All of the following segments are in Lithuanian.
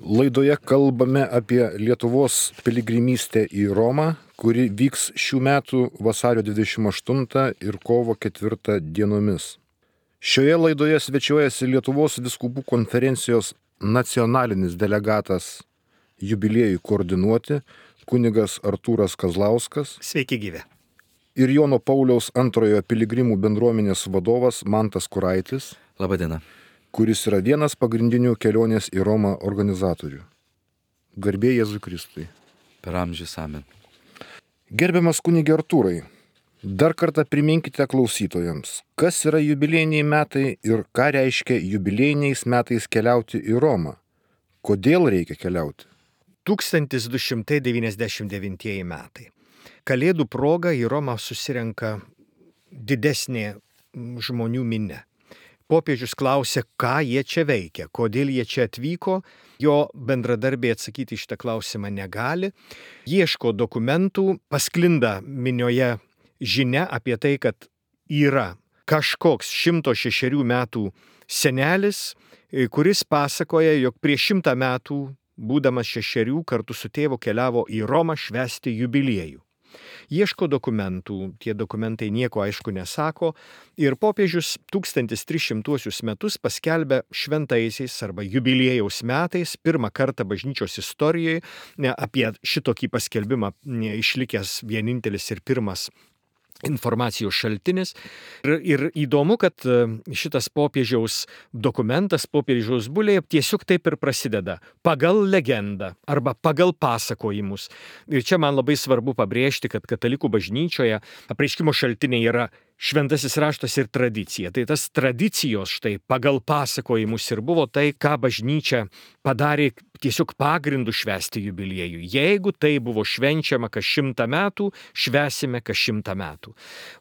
Laidoje kalbame apie Lietuvos piligrimystę į Romą, kuri vyks šių metų vasario 28 ir kovo 4 dienomis. Šioje laidoje svečiuojasi Lietuvos vyskupų konferencijos nacionalinis delegatas jubiliejui koordinuoti kunigas Artūras Kazlauskas. Sveiki gyvi. Ir Jono Pauliaus II piligrimų bendruomenės vadovas Mantas Kuraitis. Labadiena. Kuris yra vienas pagrindinių kelionės į Romą organizatorių. Garbė Jėzui Kristui. Per amžius amen. Gerbiamas kunige Artūrai, dar kartą priminkite klausytojams, kas yra jubiliejiniai metai ir ką reiškia jubiliejiniais metais keliauti į Romą. Kodėl reikia keliauti? 1299 metai. Kalėdų proga į Romą susirenka didesnė žmonių minia. Popiežius klausė, ką jie čia veikia, kodėl jie čia atvyko, jo bendradarbiai atsakyti šitą klausimą negali, ieško dokumentų, pasklinda minioje žinia apie tai, kad yra kažkoks 106 metų senelis, kuris pasakoja, jog prieš 100 metų, būdamas 6 kartu su tėvu keliavo į Romą švęsti jubiliejų. Ieško dokumentų, tie dokumentai nieko aišku nesako ir popiežius 1300 metus paskelbė šventaisiais arba jubiliejaus metais, pirmą kartą bažnyčios istorijoje, apie šitokį paskelbimą išlikęs vienintelis ir pirmas informacijos šaltinis. Ir įdomu, kad šitas popiežiaus dokumentas, popiežiaus bulė tiesiog taip ir prasideda. Pagal legendą arba pagal pasakojimus. Ir čia man labai svarbu pabrėžti, kad katalikų bažnyčioje apreiškimo šaltiniai yra šventasis raštas ir tradicija. Tai tas tradicijos štai pagal pasakojimus ir buvo tai, ką bažnyčia padarė tiesiog pagrindų švęsti jubiliejų. Jeigu tai buvo švenčiama kas 100 metų, švęsime kas 100 metų.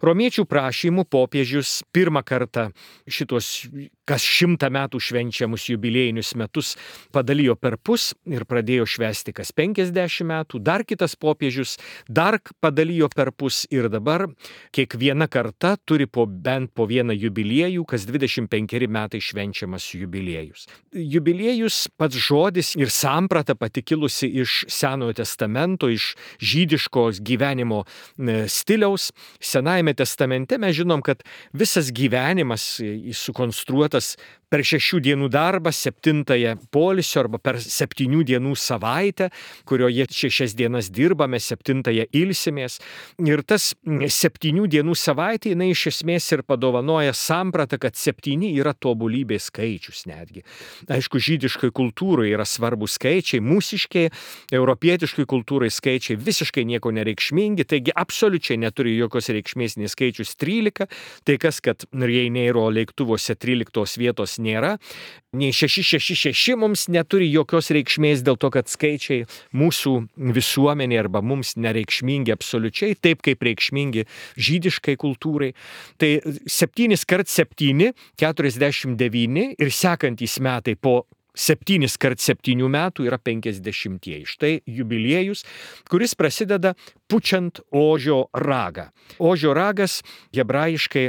Romiečių prašymų popiežius pirmą kartą šitos kas 100 metų švenčiamus jubiliejinius metus padalijo per pus ir pradėjo švęsti kas 50 metų. Dar kitas popiežius dar padalijo per pus ir dabar kiekviena karta turi bent po vieną jubiliejų, kas 25 metai švenčiamas jubiliejus. Jubiliejus pats žodis ir samprata pati kilusi iš Senojo testamento, iš žydiškos gyvenimo stiliaus. Senajame testamente mes žinom, kad visas gyvenimas sukonstruotas per 6 dienų darbą, 7 poilsio arba per 7 dienų savaitę, kurioje 6 dienas dirbame, 7 ilsimės. Ir tas 7 dienų savaitė, jinai iš esmės ir padovanoja sampratą, kad 7 yra tobulybės skaičius netgi. Aišku, žydiškai kultūrai yra svarbus skaičiai, mūsiškai, europietiškai kultūrai skaičiai visiškai nieko nereikšmingi, taigi absoliučiai neturi jokios reikšmės nei skaičius 13, tai kas, kad Ryanairo lėktuvuose 13 vietos nėra, nei 666 mums neturi jokios reikšmės dėl to, kad skaičiai mūsų visuomenė arba mums nereikšmingi absoliučiai, taip kaip reikšmingi žydiškai kultūrai. Tai 7 kart 7, 49 ir sekantys metai po 7 kart 7 metų yra 50. Štai jubiliejus, kuris prasideda pučiant ožio ragą. Ožio ragas hebrajiškai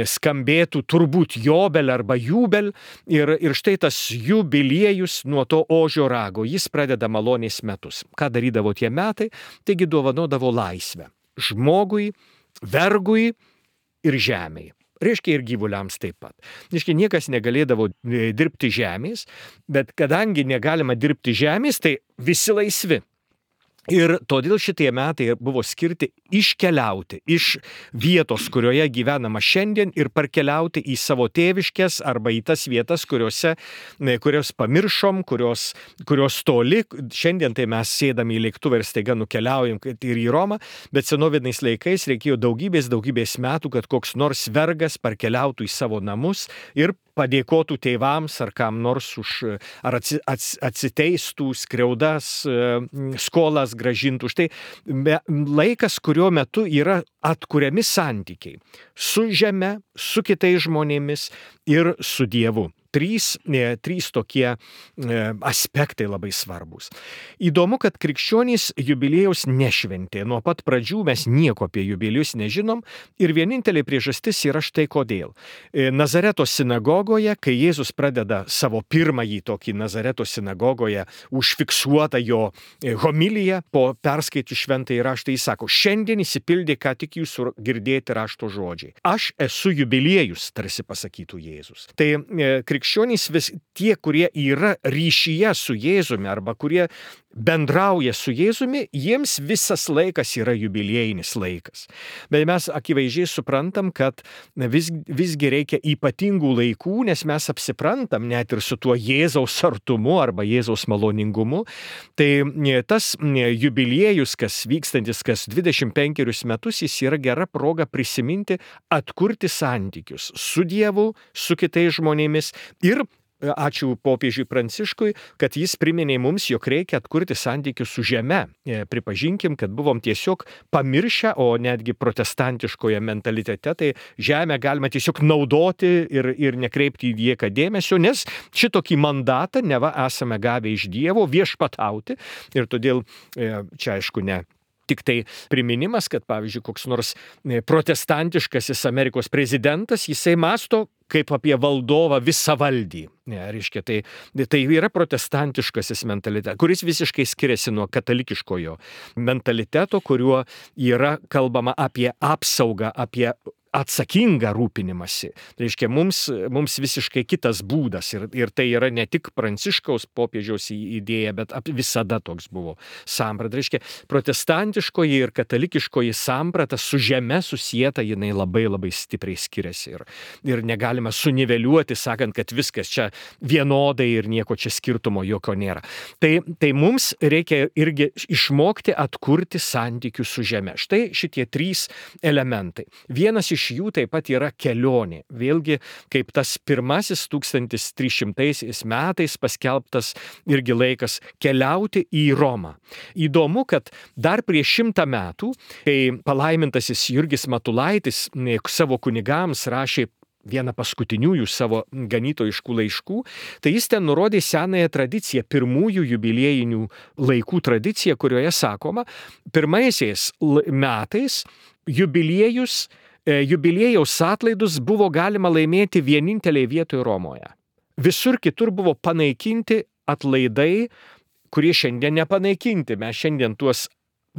skambėtų turbūt jobel arba jubel ir štai tas jubiliejus nuo to ožio rago, jis pradeda malonės metus. Ką darydavo tie metai? Taigi dovanodavo laisvę žmogui, vergui ir žemei. Reiškia ir gyvuliams taip pat. Reiškia, niekas negalėdavo dirbti žemės, bet kadangi negalima dirbti žemės, tai visi laisvi. Ir todėl šitie metai buvo skirti iškeliauti iš vietos, kurioje gyvenama šiandien ir parkeliauti į savo tėviškes arba į tas vietas, kurios pamiršom, kurios toli. Šiandien tai mes sėdame į lėktuvą ir staiga nukeliaujam ir į Romą, bet senoviniais laikais reikėjo daugybės metų, kad koks nors vergas parkeliautų į savo namus ir padėkotų tėvams ar kam nors ar atsiteistų skriaudas, skolas grąžintų. Štai laikas, kurio metu yra atkuriami santykiai su žeme, su kitais žmonėmis ir su Dievu. trys tokie aspektai labai svarbus. Įdomu, kad krikščionys jubiliejaus nešventė. Nuo pat pradžių mes nieko apie jubiliejus nežinom ir vienintelė priežastis yra štai kodėl. Nazareto sinagogoje, kai Jėzus pradeda savo pirmąjį tokį Nazareto sinagogoje užfiksuotą jo homiliją po perskaitų šventąjį raštą, jis sako, šiandien įsipildė ką tik jūsų girdėti rašto žodžiai. Aš esu jubiliejus, tarsi pasakytų Jėzus. Tai krikščionys tie, kurie yra ryšyje su Jėzumi arba kurie bendrauja su Jėzumi, jiems visas laikas yra jubiliejinis laikas. Bet mes akivaizdžiai suprantam, kad visgi reikia ypatingų laikų, nes mes apsiprantam net ir su tuo Jėzaus artumu arba Jėzaus maloningumu. Tai tas jubiliejus, kas vykstantis kas 25 metus, jis yra gera proga prisiminti, atkurti santykius su Dievu, su kitais žmonėmis ir ačiū popiežiui Pranciškui, kad jis priminė mums, jog reikia atkurti santykius su žeme. Pripažinkim, kad buvom tiesiog pamiršę, o netgi protestantiškoje mentalitete, tai žemę galima tiesiog naudoti ir nekreipti į nieką dėmesio, nes šitokį mandatą neva esame gavę iš Dievo viešpatauti ir todėl čia aišku ne. Tik tai priminimas, kad pavyzdžiui koks nors protestantiškasis Amerikos prezidentas, jisai mąsto kaip apie valdovą visavaldį. Reiškia, tai yra protestantiškasis mentalitetas, kuris visiškai skiriasi nuo katalikiškojo mentaliteto, kuriuo yra kalbama apie apsaugą, apie atsakingą rūpinimąsi. Reiškia, mums visiškai kitas būdas ir tai yra ne tik Pranciškaus popiežiaus idėja, bet visada toks buvo samprata. Reiškia, protestantiškoji ir katalikiškoji samprata su žeme susieta, jinai labai labai stipriai skiriasi ir negalima suniveliuoti, sakant, kad viskas čia vienodai ir nieko čia skirtumo jokio nėra. Tai mums reikia irgi išmokti atkurti santykius su žeme. Štai šitie trys elementai. Vienas iš jų taip pat yra kelionė. Vėlgi, kaip tas pirmasis 1300 metais paskelbtas irgi laikas keliauti į Romą. Įdomu, kad dar prieš 100 metų, kai palaimintasis Jurgis Matulaitis savo kunigams rašė vieną paskutiniųjų savo ganytojiškų laiškų, tai jis ten nurodė senąją tradiciją, pirmųjų jubiliejinių laikų tradiciją, kurioje sakoma, pirmaisiais metais jubiliejaus atlaidus buvo galima laimėti vieninteliai vietoje Romoje. Visur kitur buvo panaikinti atlaidai, kurie šiandien nepanaikinti. Mes šiandien tuos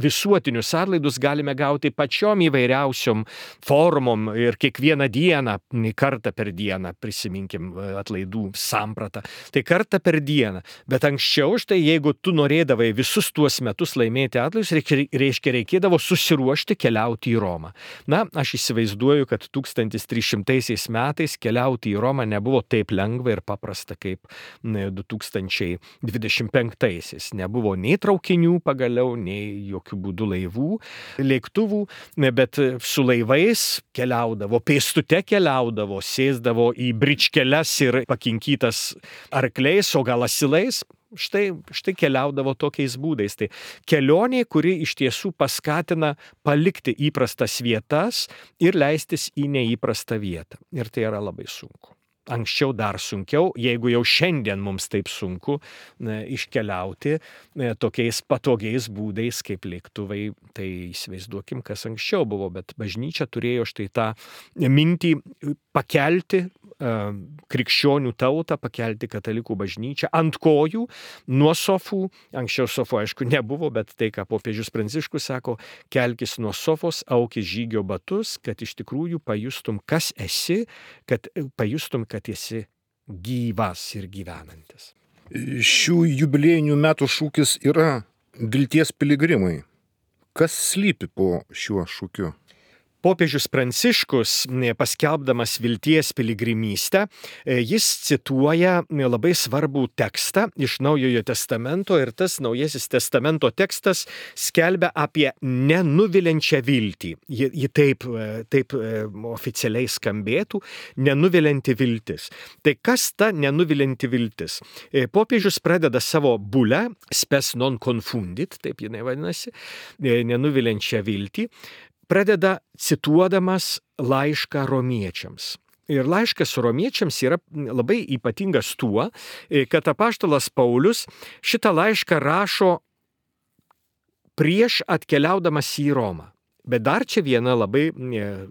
visuotinius atlaidus galime gauti pačiom įvairiausiom formom ir kiekvieną dieną, kartą per dieną, prisiminkim atlaidų sampratą. Tai kartą per dieną. Bet anksčiau, štai jeigu tu norėdavai visus tuos metus laimėti atlaidus, reikėdavo susiruošti keliauti į Romą. Na, aš įsivaizduoju, kad 1300 metais keliauti į Romą nebuvo taip lengva ir paprasta kaip 2025. Nebuvo nei traukinių pagaliau, nei jokių būdų laivų, lėktuvų, bet su laivais keliaudavo, pėstute keliaudavo, sėsdavo į bričkeles ir pakinkytas arkliais, o gal asilais. Štai keliaudavo tokiais būdais. Tai kelionė, kuri iš tiesų paskatina palikti įprastas vietas ir leistis į neįprastą vietą. Ir tai yra labai sunku. Anksčiau dar sunkiau, jeigu jau šiandien mums taip sunku iškeliauti tokiais patogiais būdais kaip lėktuvai, tai įsivaizduokim, kas anksčiau buvo, bet bažnyčia turėjo štai tą mintį pakelti krikščionių tautą, pakelti katalikų bažnyčią ant kojų, nuo sofų. Anksčiau sofų, aišku, nebuvo, bet tai, ką popiežius Pranciškus sako, kelkis nuo sofos, aukis žygio batus, kad iš tikrųjų pajustum, kas esi, kad pajustum, kad esi gyvas ir gyvenantis. Šių jubiliejinių metų šūkis yra vilties piligrimai. Kas slypi po šiuo šūkiu? Popiežius Pranciškus, paskelbdamas vilties piligrimystę, jis cituoja labai svarbų tekstą iš Naujojo testamento ir tas Naujasis testamento tekstas skelbia apie nenuviliančią viltį. Ji taip oficialiai skambėtų, nenuvilianti viltis. Tai kas ta nenuvilianti viltis? Popiežius pradeda savo bulę, spes non confundit, taip jinai vadinasi, nenuviliančią viltį, pradeda cituodamas laišką romiečiams. Ir laiškas romiečiams yra labai ypatingas tuo, kad apaštalas Paulius šitą laišką rašo prieš atkeliaudamas į Romą. Bet dar čia viena labai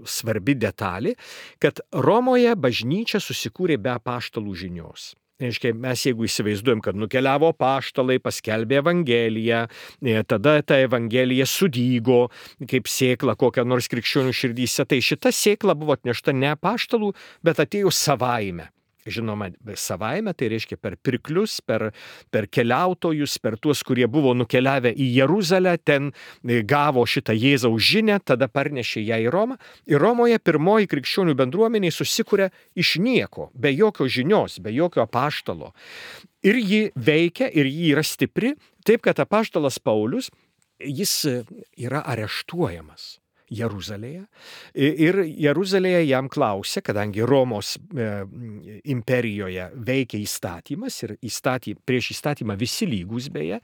svarbi detalė, kad Romoje bažnyčia susikūrė be apaštalų žinios. Reiškia, mes jeigu įsivaizduojam, kad nukeliavo apaštalai, paskelbė Evangeliją, tada ta Evangelija sudygo kaip sėkla kokią nors krikščionių širdyse, tai šita sėkla buvo atnešta ne apaštalų, bet atėjo savaime. Žinoma, savaime, tai reiškia per pirklius, per keliautojus, per tuos, kurie buvo nukeliavę į Jeruzalę, ten gavo šitą Jėzaus žinią, tada parnešė ją į Romą. Ir Romoje pirmoji krikščionių bendruomenė susikuria iš nieko, be jokios žinios, be jokio apaštalo. Ir ji veikia, ir ji yra stipri, taip kad apaštalas Paulius, jis yra areštuojamas Jeruzalėje. Ir Jeruzalėje jam klausia, kadangi Romos imperijoje veikia įstatymas ir prieš įstatymą visi lygūs beje,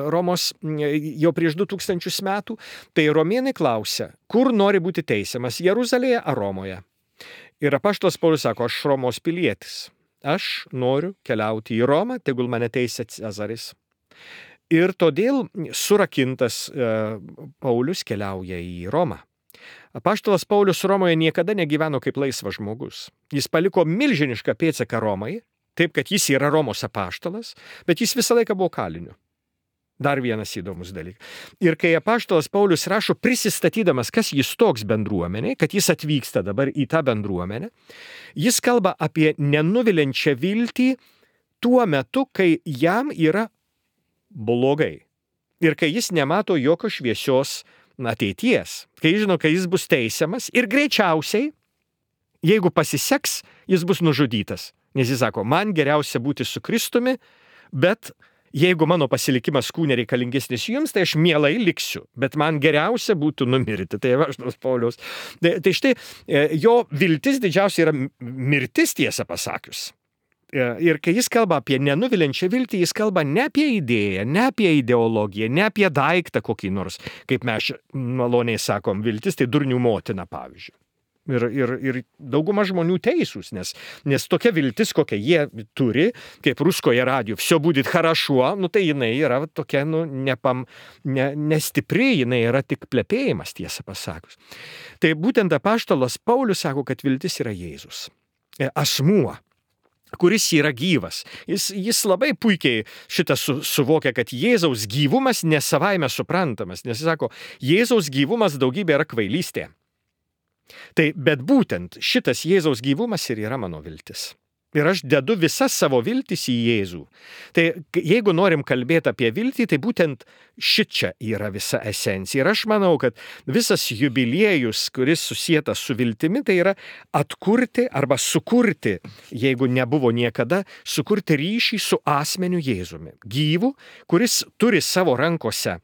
Romos jau prieš 2000 metų, tai romėnai klausia, kur nori būti teisiamas, Jeruzalėje ar Romoje? Ir apaštalas Paulius sako, aš Romos pilietis, aš noriu keliauti į Romą, tegul mane teisia Cezaris. Ir todėl surakintas Paulius keliauja į Romą. Apaštalas Paulius Romoje niekada negyveno kaip laisvas žmogus. Jis paliko milžinišką pėdsaką Romai, taip kad jis yra Romos apaštalas, bet jis visą laiką buvo kaliniu. Dar vienas įdomus dalykas. Ir kai apaštalas Paulius rašo prisistatydamas, kas jis toks bendruomenė, kad jis atvyksta dabar į tą bendruomenę, jis kalba apie nenuviliančią viltį tuo metu, kai jam yra blogai. Ir kai jis nemato jokio šviesios ateities, kai žino, kai jis bus teisiamas ir greičiausiai, jeigu pasiseks, jis bus nužudytas. Nes jis sako, man geriausia būti su Kristumi, bet jeigu mano pasilikimas kūne reikalingesnis jums, tai aš mielai liksiu, bet man geriausia būtų numirti. Tai apaštalas Paulius. Tai štai jo viltis didžiausia yra mirtis, tiesą pasakius. Ir kai jis kalba apie nenuviliančią viltį, jis kalba ne apie idėją, ne apie ideologiją, ne apie daiktą kokį nors, kaip mes maloniai sakom, viltis tai durnių motina, pavyzdžiui. Ir dauguma žmonių teisūs, nes tokia viltis, kokią jie turi, kaip ruskoje radijo, все будет хорошо, tai jinai yra tokia, nestipri, jinai yra tik plepėjimas, tiesą pasakus. Tai būtent apaštalas Paulius sako, kad viltis yra Jėzus. Asmuo, kuris yra gyvas. Jis labai puikiai šitą suvokia, kad Jėzaus gyvumas nesavaime suprantamas, nes jis sako, Jėzaus gyvumas daugybė yra kvailystė. Tai, bet būtent šitas Jėzaus gyvumas ir yra mano viltis. Ir aš dedu visas savo viltis į Jėzų. Tai jeigu norim kalbėti apie viltį, tai būtent šičia yra visa esencija. Ir aš manau, kad visas jubiliejus, kuris susietas su viltimi, tai yra atkurti arba sukurti, jeigu nebuvo niekada, sukurti ryšį su asmeniu Jėzumi. Gyvu, kuris turi savo rankose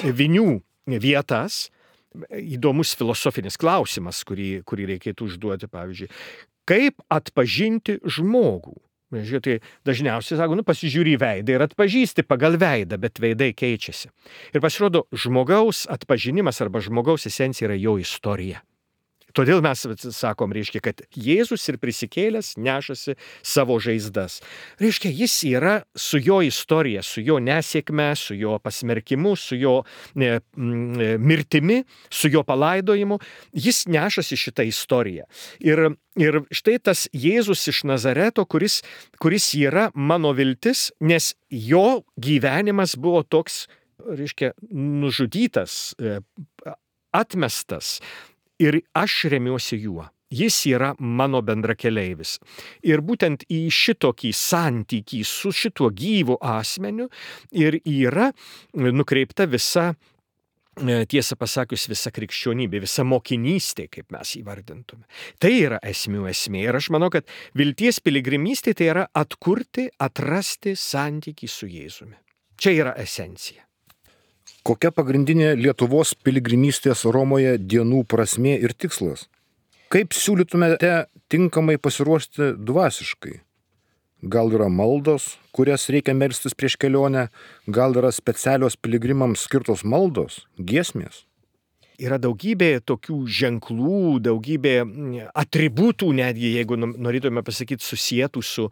vinių vietas. Įdomus filosofinis klausimas, kurį reikėtų užduoti, pavyzdžiui. Kaip atpažinti žmogų? Tai dažniausiai sako, pasižiūri į veidą ir atpažįsti pagal veidą, bet veidai keičiasi. Ir pasirodo, žmogaus atpažinimas arba žmogaus esencija yra jo istorija. Todėl mes sakom, reiškia, kad Jėzus ir prisikėlęs nešasi savo žaizdas. Reiškia, jis yra su jo istorija, su jo nesėkme, su jo pasmerkimu, su jo mirtimi, su jo palaidojimu. Jis nešasi šitą istoriją. Ir štai tas Jėzus iš Nazareto, kuris yra mano viltis, nes jo gyvenimas buvo toks, reiškia, nužudytas, atmestas. Ir aš remiuosi juo. Jis yra mano bendrakeleivis. Ir būtent į šitokį santykį su šituo gyvu asmeniu ir yra nukreipta visa, tiesą pasakius, visa krikščionybė, visa mokinystė, kaip mes įvardintume. Tai yra esmių esmė. Ir aš manau, kad vilties piligrimystė tai yra atkurti, atrasti santykį su Jėzumi. Čia yra esencija. Kokia pagrindinė Lietuvos piligrimystės Romoje dienų prasmė ir tikslas? Kaip siūlytumėte tinkamai pasiruošti dvasiškai? Gal yra maldos, kurias reikia melstis prieš kelionę? Gal yra specialios piligrimams skirtos maldos, giesmės? yra daugybė tokių ženklų, daugybė atributų, netgi jeigu norėtume pasakyti susietų su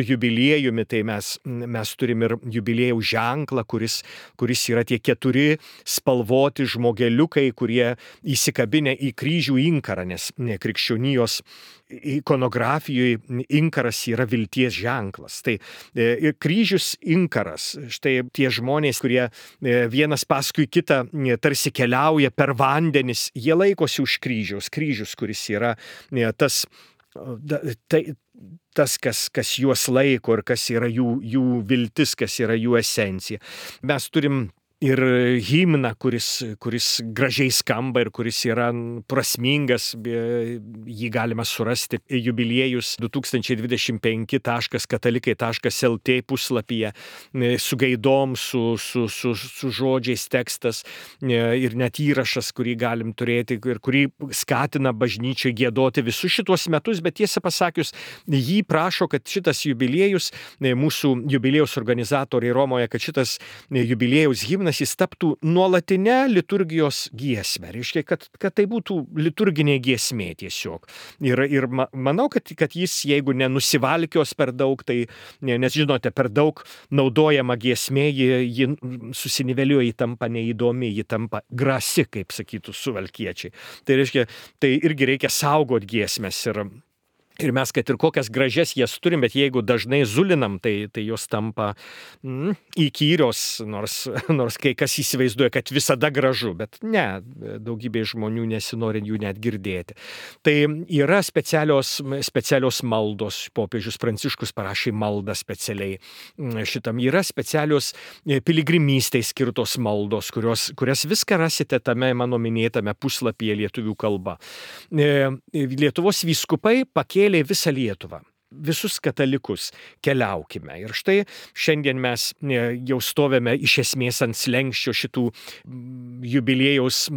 jubiliejumi, tai mes turim ir jubiliejaus ženklą, kuris yra tie 4 spalvoti žmogeliukai, kurie įsikabinę į kryžių inkarą, nes krikščionijos ikonografijoje inkaras yra vilties ženklas. Tai kryžius inkaras, štai tie žmonės, kurie vienas paskui kitą tarsi keliauja per vandenis, jie laikosi už kryžius, kuris yra tas, kas juos laiko ir kas yra jų viltis, kas yra jų esencija. Mes turim ir himną, kuris gražiai skamba ir kuris yra prasmingas, jį galima surasti jubiliejus 2025.katalikai.lt puslapyje su gaidom, su žodžiais tekstas ir net įrašas, kurį galim turėti ir kurį skatina bažnyčią giedoti visus šitos metus, bet tiesą pasakius, jį prašo, kad šitas jubiliejus, mūsų jubiliejaus organizatoriai Romoje, kad šitas jubiliejaus himnas jis taptų nuolatinę liturgijos giesmę. Reiškia, kad tai būtų liturginė giesmė tiesiog. Ir manau, kad jis, jeigu nenusivalkios per daug, tai, nes žinote, per daug naudojama giesmė, ji susiniveliuoja, ji tampa neįdomi, ji tampa grasi, kaip sakytų suvalkiečiai. Tai reiškia, tai irgi reikia saugot giesmės ir mes, kad ir kokias gražias jas turim, bet jeigu dažnai zulinam, tai jos tampa įkyrios, nors kai kas įsivaizduoja, kad visada gražu, bet ne, daugybė žmonių nesinori jų net girdėti. Tai yra specialios maldos, popiežius Pranciškus parašė maldą specialiai šitam. Yra specialios piligrimystei skirtos maldos, kurias viską rasite tame mano minėtame puslapyje lietuvių kalba. Lietuvos vyskupai pakėlė visą Lietuvą. Visus katalikus keliaukime. Ir štai šiandien mes jau stovėme iš esmės ant slenksčio šitų jubiliejaus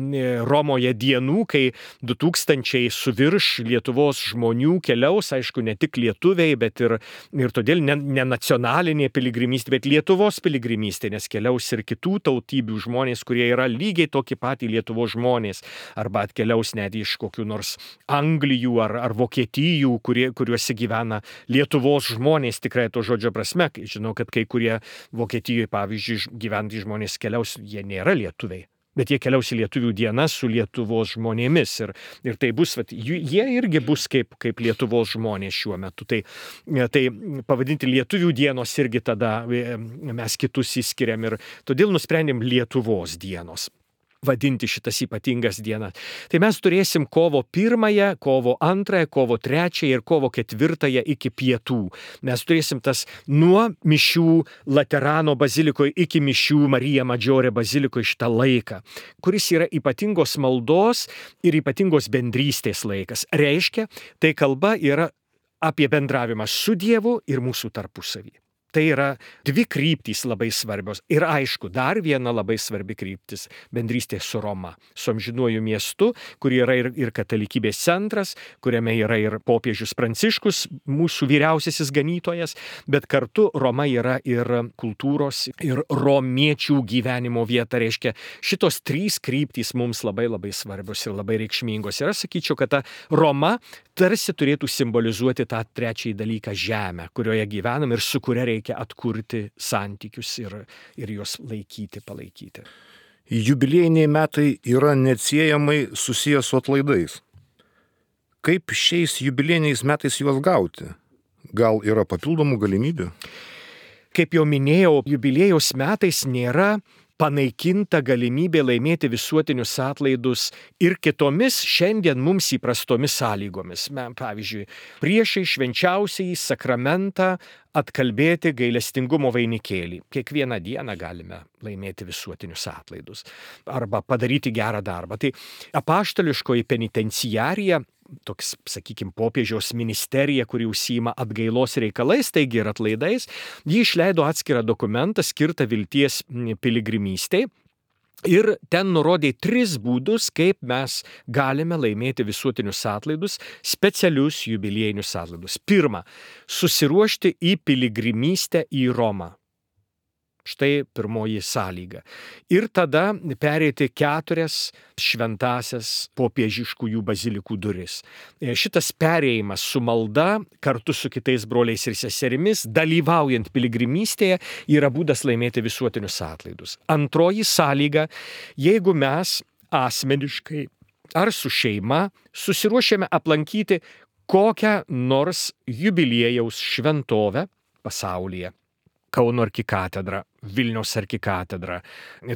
Romoje dienų, kai 2000 su virš Lietuvos žmonių keliaus, aišku, ne tik lietuviai, bet ir todėl ne nacionalinė piligrimystė, bet Lietuvos piligrimystė, nes keliaus ir kitų tautybių žmonės, kurie yra lygiai tokie patys Lietuvos žmonės, arba atkeliaus net iš kokių nors Anglijų ar Vokietijų, kuriuose gyvena Lietuvos žmonės, tikrai to žodžio prasme. Žinau, kad kai kurie Vokietijoje, pavyzdžiui, gyventys žmonės keliaus, jie nėra lietuviai, bet jie keliaus į lietuvių dienas su Lietuvos žmonėmis. Ir tai bus, jie irgi bus kaip Lietuvos žmonės šiuo metu. Tai pavadinti lietuvių dienos irgi tada mes kitus įskiriam ir todėl nusprendėm Lietuvos dienos vadinti šitas ypatingas dienas. Tai mes turėsim kovo 1, kovo 2, kovo 3 ir kovo 4 iki pietų. Mes turėsim tas nuo mišių Laterano bazilikoje iki mišių Marija Madžiore bazilikoje šitą laiką, kuris yra ypatingos maldos ir ypatingos bendrystės laikas. Reiškia, tai kalba yra apie bendravimą su Dievu ir mūsų tarpusavį. Tai yra 2 kryptys labai svarbios. Ir aišku, dar viena labai svarbi kryptis - bendrystė su Roma, su amžinuoju miestu, kur yra ir katalikybės centras, kuriame yra ir popiežius Pranciškus, mūsų vyriausiasis ganytojas, bet kartu Roma yra ir kultūros, ir romiečių gyvenimo vieta. Reiškia, šitos 3 kryptys mums labai labai svarbios ir labai reikšmingos. Ir aš sakyčiau, kad ta Roma tarsi turėtų simbolizuoti tą trečiąjį dalyką - žemę, kurioje gyvenam ir su kuria reikia atkurti santykius ir juos palaikyti. Jubiliejiniai metai yra neatsiejamai susijęs su atlaidais. Kaip šiais jubiliejiniais metais juos gauti? Gal yra papildomų galimybių? Kaip jau minėjau, jubiliejaus metais nėra panaikinta galimybė laimėti visuotinius atlaidus ir kitomis šiandien mums įprastomis sąlygomis. Pavyzdžiui, priešai švenčiausiąjį sakramentą atkalbėti gailestingumo vainikėlį. Kiekvieną dieną galime laimėti visuotinius atlaidus arba padaryti gerą darbą. Tai apaštališkoji penitenciarija, toks, sakykime, popiežiaus ministerija, kuri užsiima atgailos reikalais, taigi ir atlaidais, ji išleido atskirą dokumentą skirtą vilties piligrimystei. Ir ten nurodė 3 būdus, kaip mes galime laimėti visuotinius atlaidus, specialius jubiliejinius atlaidus. 1. Susiruošti į piligrimystę į Romą. Štai pirmoji sąlyga. Ir tada pereiti 4 šventąsias popiežiškųjų bazilikų duris. Šitas perėjimas su malda, kartu su kitais broliais ir seserimis, dalyvaujant piligrimystėje, yra būdas laimėti visuotinius atlaidus. Antroji sąlyga, jeigu mes asmeniškai ar su šeima susiruošėme aplankyti kokią nors jubiliejaus šventovę pasaulyje. Kauno arkikatedrą, Vilniaus arkikatedrą,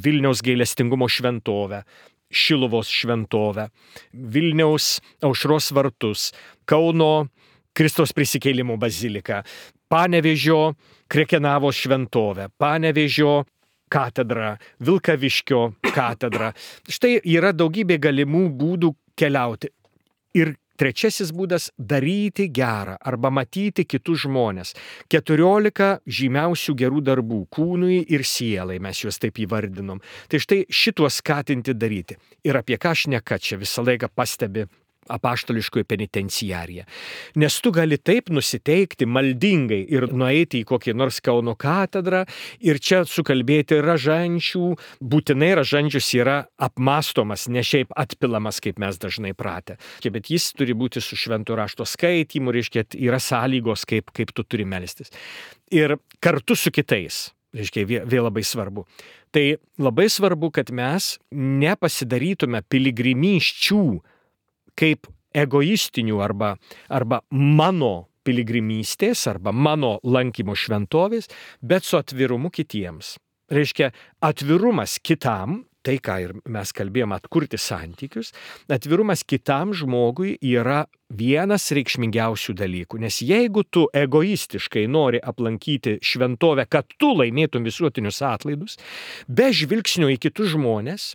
Vilniaus gailestingumo šventovę, Šiluvos šventovę, Vilniaus Aušros vartus, Kauno Kristaus prisikėlimo baziliką, Panevėžio Krekenavos šventovę, Panevėžio katedrą, Vilkaviškio katedrą. Štai yra daugybė galimų būdų keliauti. Ir trečiasis būdas - daryti gerą arba matyti kitus žmonės. 14 žymiausių gerų darbų kūnui ir sielai, mes juos taip įvardinom. Tai štai šituos skatinti daryti. Ir apie ką šneka čia visą laiką pastebi apaštališkoji penitenciarija. Nes tu gali taip nusiteikti maldingai ir nueiti į kokį nors Kauno katedrą ir čia sukalbėti ražančių, būtinai ražančius yra apmastomas, ne šiaip atpilamas, kaip mes dažnai pratę. Bet jis turi būti su švento rašto skaitymu, reiškia, yra sąlygos, kaip tu turi melstis. Ir kartu su kitais. Reiškia, vėl labai svarbu. Tai labai svarbu, kad mes nepasidarytume piligrimysčių kaip egoistinių arba mano piligrimystės arba mano lankymo šventovės, bet su atvirumu kitiems. Reiškia, atvirumas kitam, tai ką ir mes kalbėjome, atkurti santykius, atvirumas kitam žmogui yra vienas reikšmingiausių dalykų. Nes jeigu tu egoistiškai nori aplankyti šventovę, kad tu laimėtum visuotinius atlaidus, be žvilgsnio į kitus žmonės,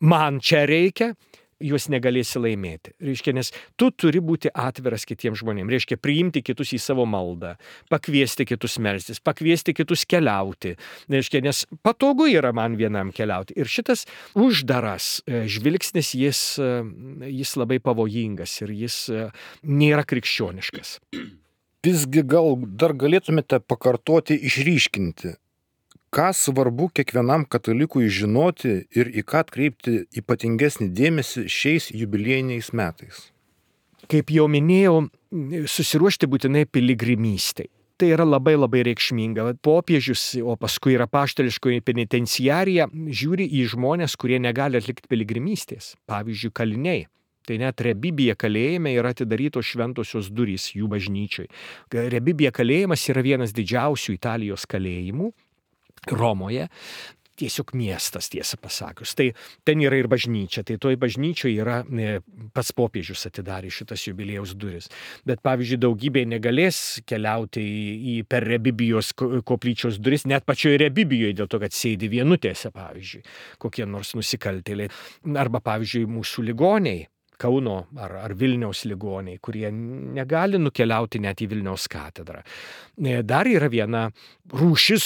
man čia reikia, juos negalėsi laimėti. Reiškia, nes tu turi būti atviras kitiems žmonėms. Reiškia, priimti kitus į savo maldą, pakviesti kitus melstis, pakviesti kitus keliauti. Reiškia, nes patogu yra man vienam keliauti. Ir šitas uždaras žvilgsnis, jis labai pavojingas ir jis nėra krikščioniškas. Visgi gal dar galėtumėte pakartoti, išryškinti, ką svarbu kiekvienam katalikui žinoti ir į ką atkreipti ypatingesnį dėmesį šiais jubiliejiniais metais? Kaip jau minėjau, susiruošti būtinai piligrimystei. Tai yra labai labai reikšminga. Popiežius, o paskui ir apaštališkoji penitenciarija žiūri į žmonės, kurie negali atlikti piligrimystės. Pavyzdžiui, kaliniai. Tai net Rebibija kalėjime yra atidarytos šventosios durys jų bažnyčiai. Rebibija kalėjimas yra vienas didžiausių Italijos kalėjimų. Romoje, tiesiog miestas, tiesą pasakius. Tai ten yra ir bažnyčia, tai toj bažnyčioje yra pats popiežius atidarė šitas jubiliejaus duris. Bet pavyzdžiui, daugybė negalės keliauti per Rebibijos koplyčios duris, net pačioje Rebibijoje, dėl to, kad sėdi vienutėse, pavyzdžiui, kokie nors nusikaltėliai. Arba, pavyzdžiui, mūsų ligoniai. Kauno ar Vilniaus ligoniai, kurie negali nukeliauti net į Vilniaus katedrą. Dar yra viena rūšis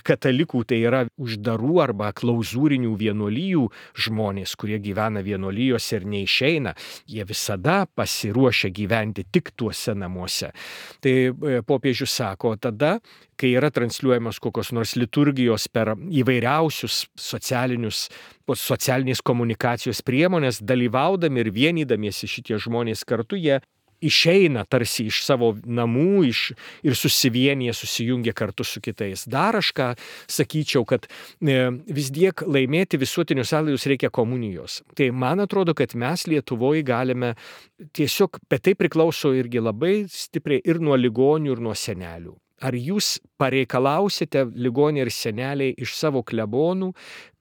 katalikų, tai yra uždarų arba klauzūrinių vienuolijų žmonės, kurie gyvena vienuolijose ir neišeina. Jie visada pasiruošia gyventi tik tuose namuose. Tai popiežius sako, tada, kai yra transliuojamos kokios nors liturgijos per įvairiausius socialinės komunikacijos priemonės, dalyvaudami ir vienydamiesi šitie žmonės kartu, jie išeina tarsi iš savo namų ir susijungia kartu su kitais. Dar aš ką sakyčiau, kad vis tiek laimėti visuotinius atlaidus reikia komunijos. Tai man atrodo, kad mes Lietuvoje galime tiesiog, bet tai priklauso irgi labai stipriai ir nuo ligonių, ir nuo senelių. Ar jūs pareikalausite ligoniai ir seneliai iš savo klebonų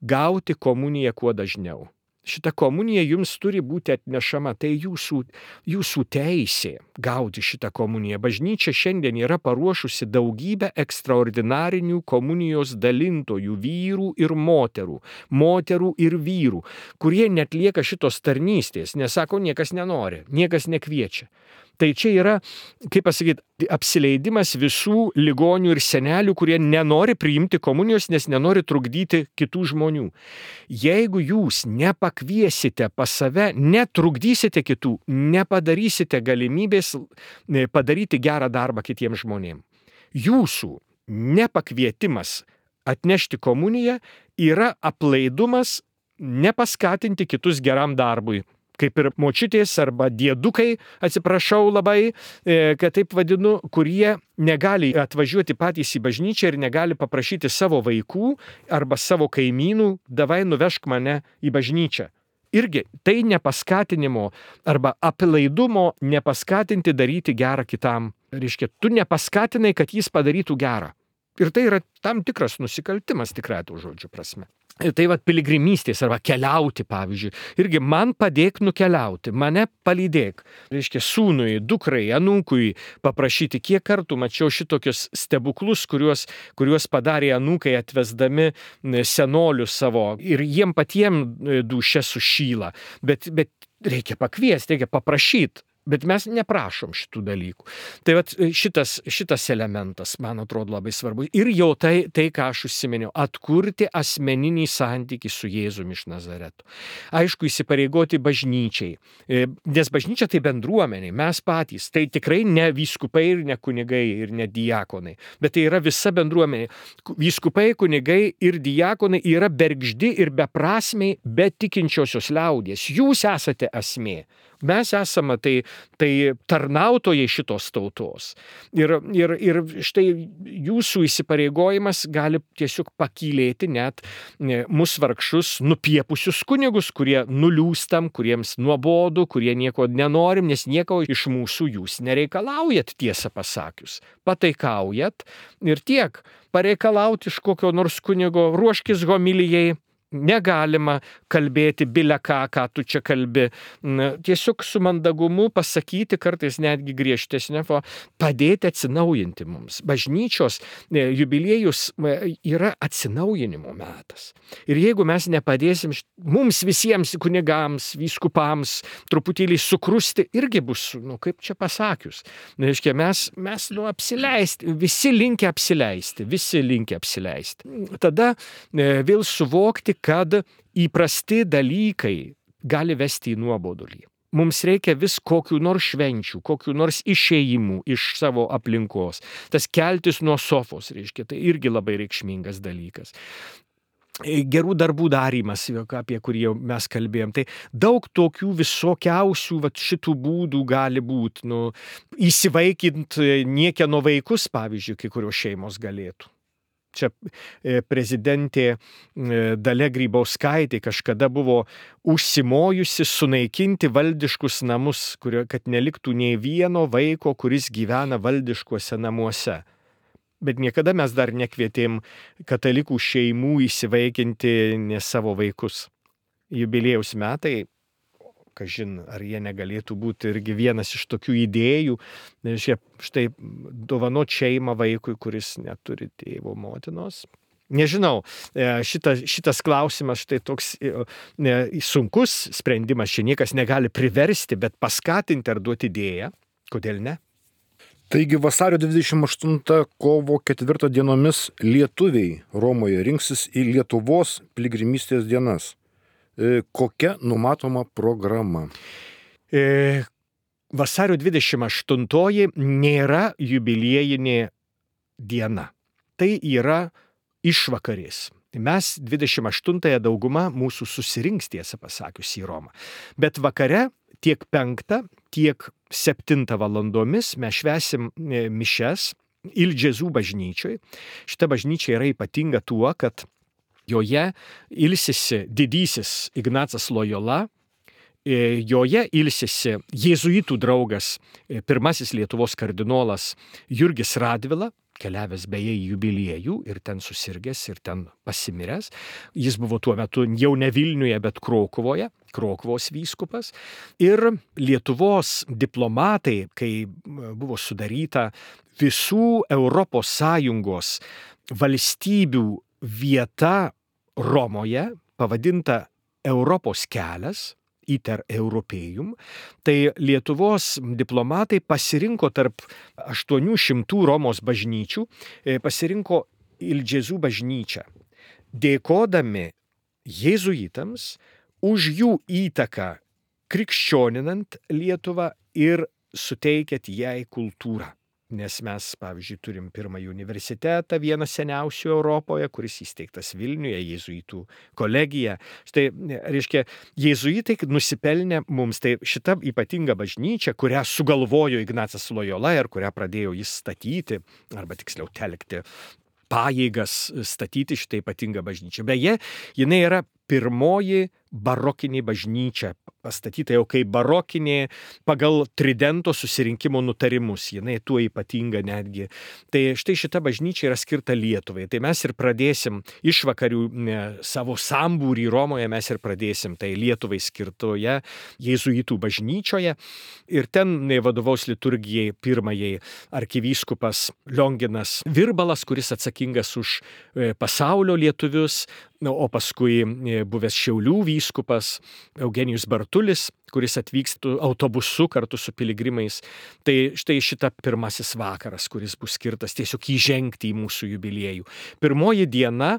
gauti komuniją kuo dažniau? Šita komunija jums turi būti atnešama, tai jūsų teisė gauti šitą komuniją. Bažnyčia šiandien yra paruošusi daugybę ekstraordinarinių komunijos dalintojų, vyrų ir moterų ir vyrų, kurie netlieka šitos tarnystės, nes sako, niekas nenori, niekas nekviečia. Tai čia yra, kaip pasakyti, apsileidimas visų ligonių ir senelių, kurie nenori priimti komunijos, nes nenori trukdyti kitų žmonių. Jeigu jūs nepakviesite pas save, netrukdysite kitų, nepadarysite galimybės padaryti gerą darbą kitiems žmonėms. Jūsų nepakvietimas atnešti komuniją yra aplaidumas nepaskatinti kitus geram darbui. Kaip ir močiutės arba diedukai, atsiprašau labai, kad taip vadinu, kurie negali atvažiuoti patys į bažnyčią ir negali paprašyti savo vaikų arba savo kaimynų, davai nuvežk mane į bažnyčią. Irgi tai nepaskatinimo arba aplaidumo nepaskatinti daryti gerą kitam. Reiškia, tu nepaskatinai, kad jis padarytų gerą. Ir tai yra tam tikras nusikaltimas tikrai tų žodžių prasme. Tai piligrimystės arba keliauti, pavyzdžiui. Irgi man padėk nukeliauti, mane palydėk. Reiškia, sūnui, dukrai, anūkui paprašyti, kiek kartų mačiau šitokius stebuklus, kuriuos padarė anūkai atvesdami senolius savo ir jiem patiem dūšia sušyla. Bet reikia pakviesti, reikia paprašyti. Bet mes neprašom šitų dalykų. Tai šitas elementas, man atrodo, labai svarbu. Ir jau tai, ką aš užsiminiau, atkurti asmeninį santykį su Jėzumi iš Nazareto. Aišku, įsipareigoti bažnyčiai. Nes bažnyčia tai bendruomeniai, mes patys. Tai tikrai ne vyskupai ir ne kunigai ir ne diakonai. Bet tai yra visa bendruomenė. Vyskupai, kunigai ir diakonai yra bergždi ir beprasmiai, bet tikinčiosios liaudies. Jūs esate esmė. Mes esame tai tarnautojai šitos tautos. Ir štai jūsų įsipareigojimas gali tiesiog pakylėti net mus vargšus nupiepusius kunigus, kurie nuliūstam, kuriems nuobodu, kurie nieko nenorim, nes nieko iš mūsų jūs nereikalaujat, tiesą pasakius. Pataikaujat ir tiek. Pareikalauti iš kokio nors kunigo, ruoškis homilijai. Negalima kalbėti bile ką tu čia kalbi. Tiesiog su mandagumu pasakyti, kartais netgi griežtesnė, padėti atsinaujinti mums. Bažnyčios jubiliejus yra atsinaujinimo metas. Ir jeigu mes nepadėsim mums visiems kunigams, vyskupams truputėlį sukrusti, irgi bus, kaip čia pasakius. Reiškia, mes apsileisti, visi linkę apsileisti. Tada vėl suvokti, kad įprasti dalykai gali vesti į nuobodulį. Mums reikia vis kokių nors švenčių, kokių nors išėjimų iš savo aplinkos. Tas keltis nuo sofos, reiškia, tai irgi labai reikšmingas dalykas. Gerų darbų darymas, apie kurį jau mes kalbėjom. Tai daug tokių visokiausių šitų būdų gali būti. Įsivaikint niekieno vaikus, pavyzdžiui, kai kurios šeimos galėtų. Čia prezidentė Dalia Grybauskaitė kažkada buvo užsimojusi sunaikinti valdiškus namus, kad neliktų nei vieno vaiko, kuris gyvena valdiškuose namuose. Bet niekada mes dar nekvietėm katalikų šeimų įsivaikinti ne savo vaikus. Jubiliejaus metai, kažin, ar jie negalėtų būti irgi vienas iš tokių idėjų, štai dovanot šeimą vaikui, kuris neturi tėvo motinos. Nežinau, šitas klausimas štai toks sunkus sprendimas, čia niekas negali priversti, bet paskatinti ar duoti idėją. Kodėl ne? Taigi vasario 28 kovo 4 dienomis lietuviai Romoje rinksis į Lietuvos piligrimystės dienas. Kokia numatoma programa? Vasario 28 nėra jubiliejinė diena. Tai yra išvakarės. Mes 28 dauguma mūsų susirinks, tiesą pasakius, į Romą. Bet vakare tiek 5, tiek 7 valandomis mes švęsim mišes Ildžezų bažnyčioj. Šita bažnyčia yra ypatinga tuo, kad joje ilsisi didysis Ignacas Lojola, joje ilsisi jėzuitų draugas, pirmasis Lietuvos kardinolas Jurgis Radvila, keliavęs beje į jubiliejų ir ten susirgęs ir ten pasimiręs. Jis buvo tuo metu jau ne Vilniuje, bet Krokuvoje, Krokuvos vyskupas. Ir Lietuvos diplomatai, kai buvo sudaryta visų Europos Sąjungos valstybių vieta Romoje, pavadinta Europos kelias, Iter Europėjum, tai Lietuvos diplomatai pasirinko tarp 800 Romos bažnyčių, pasirinko Ildžezų bažnyčią, dėkodami jėzuitams už jų įtaką krikščioninant Lietuvą ir suteikiant jai kultūrą. nes mes, pavyzdžiui, turim pirmąjį universitetą, vieną seniausių Europoje, kuris įsteigtas Vilniuje, jėzuitų kolegija. Štai, reiškia, jėzuitai nusipelnė mums, tai šita ypatinga bažnyčia, kurią sugalvojo Ignacas Lojola ir kurią pradėjo jis statyti, arba tiksliau telkti pajėgas statyti šitą ypatingą bažnyčią. Beje, jinai yra pirmoji barokinė bažnyčia, pastatyta jau kaip barokinė pagal Tridento susirinkimo nutarimus. Jinai tuo ypatinga netgi. Tai štai šita bažnyčia yra skirta Lietuvai. Tai mes ir pradėsim išvakarių savo sambūrį Romoje, mes ir pradėsim tai Lietuvai skirtoje jėzuitų bažnyčioje. Ir ten vadovaus liturgijai pirmajai arkivyskupas Lionginas Virbalas, kuris atsakingas už pasaulio lietuvius, o paskui buvęs Šiaulių vyskupas Eugenijus Bartulis, kuris atvyksta autobusu kartu su piligrimais. Tai štai šita pirmasis vakaras, kuris bus skirtas tiesiog įžengti į mūsų jubiliejų. Pirmoji diena,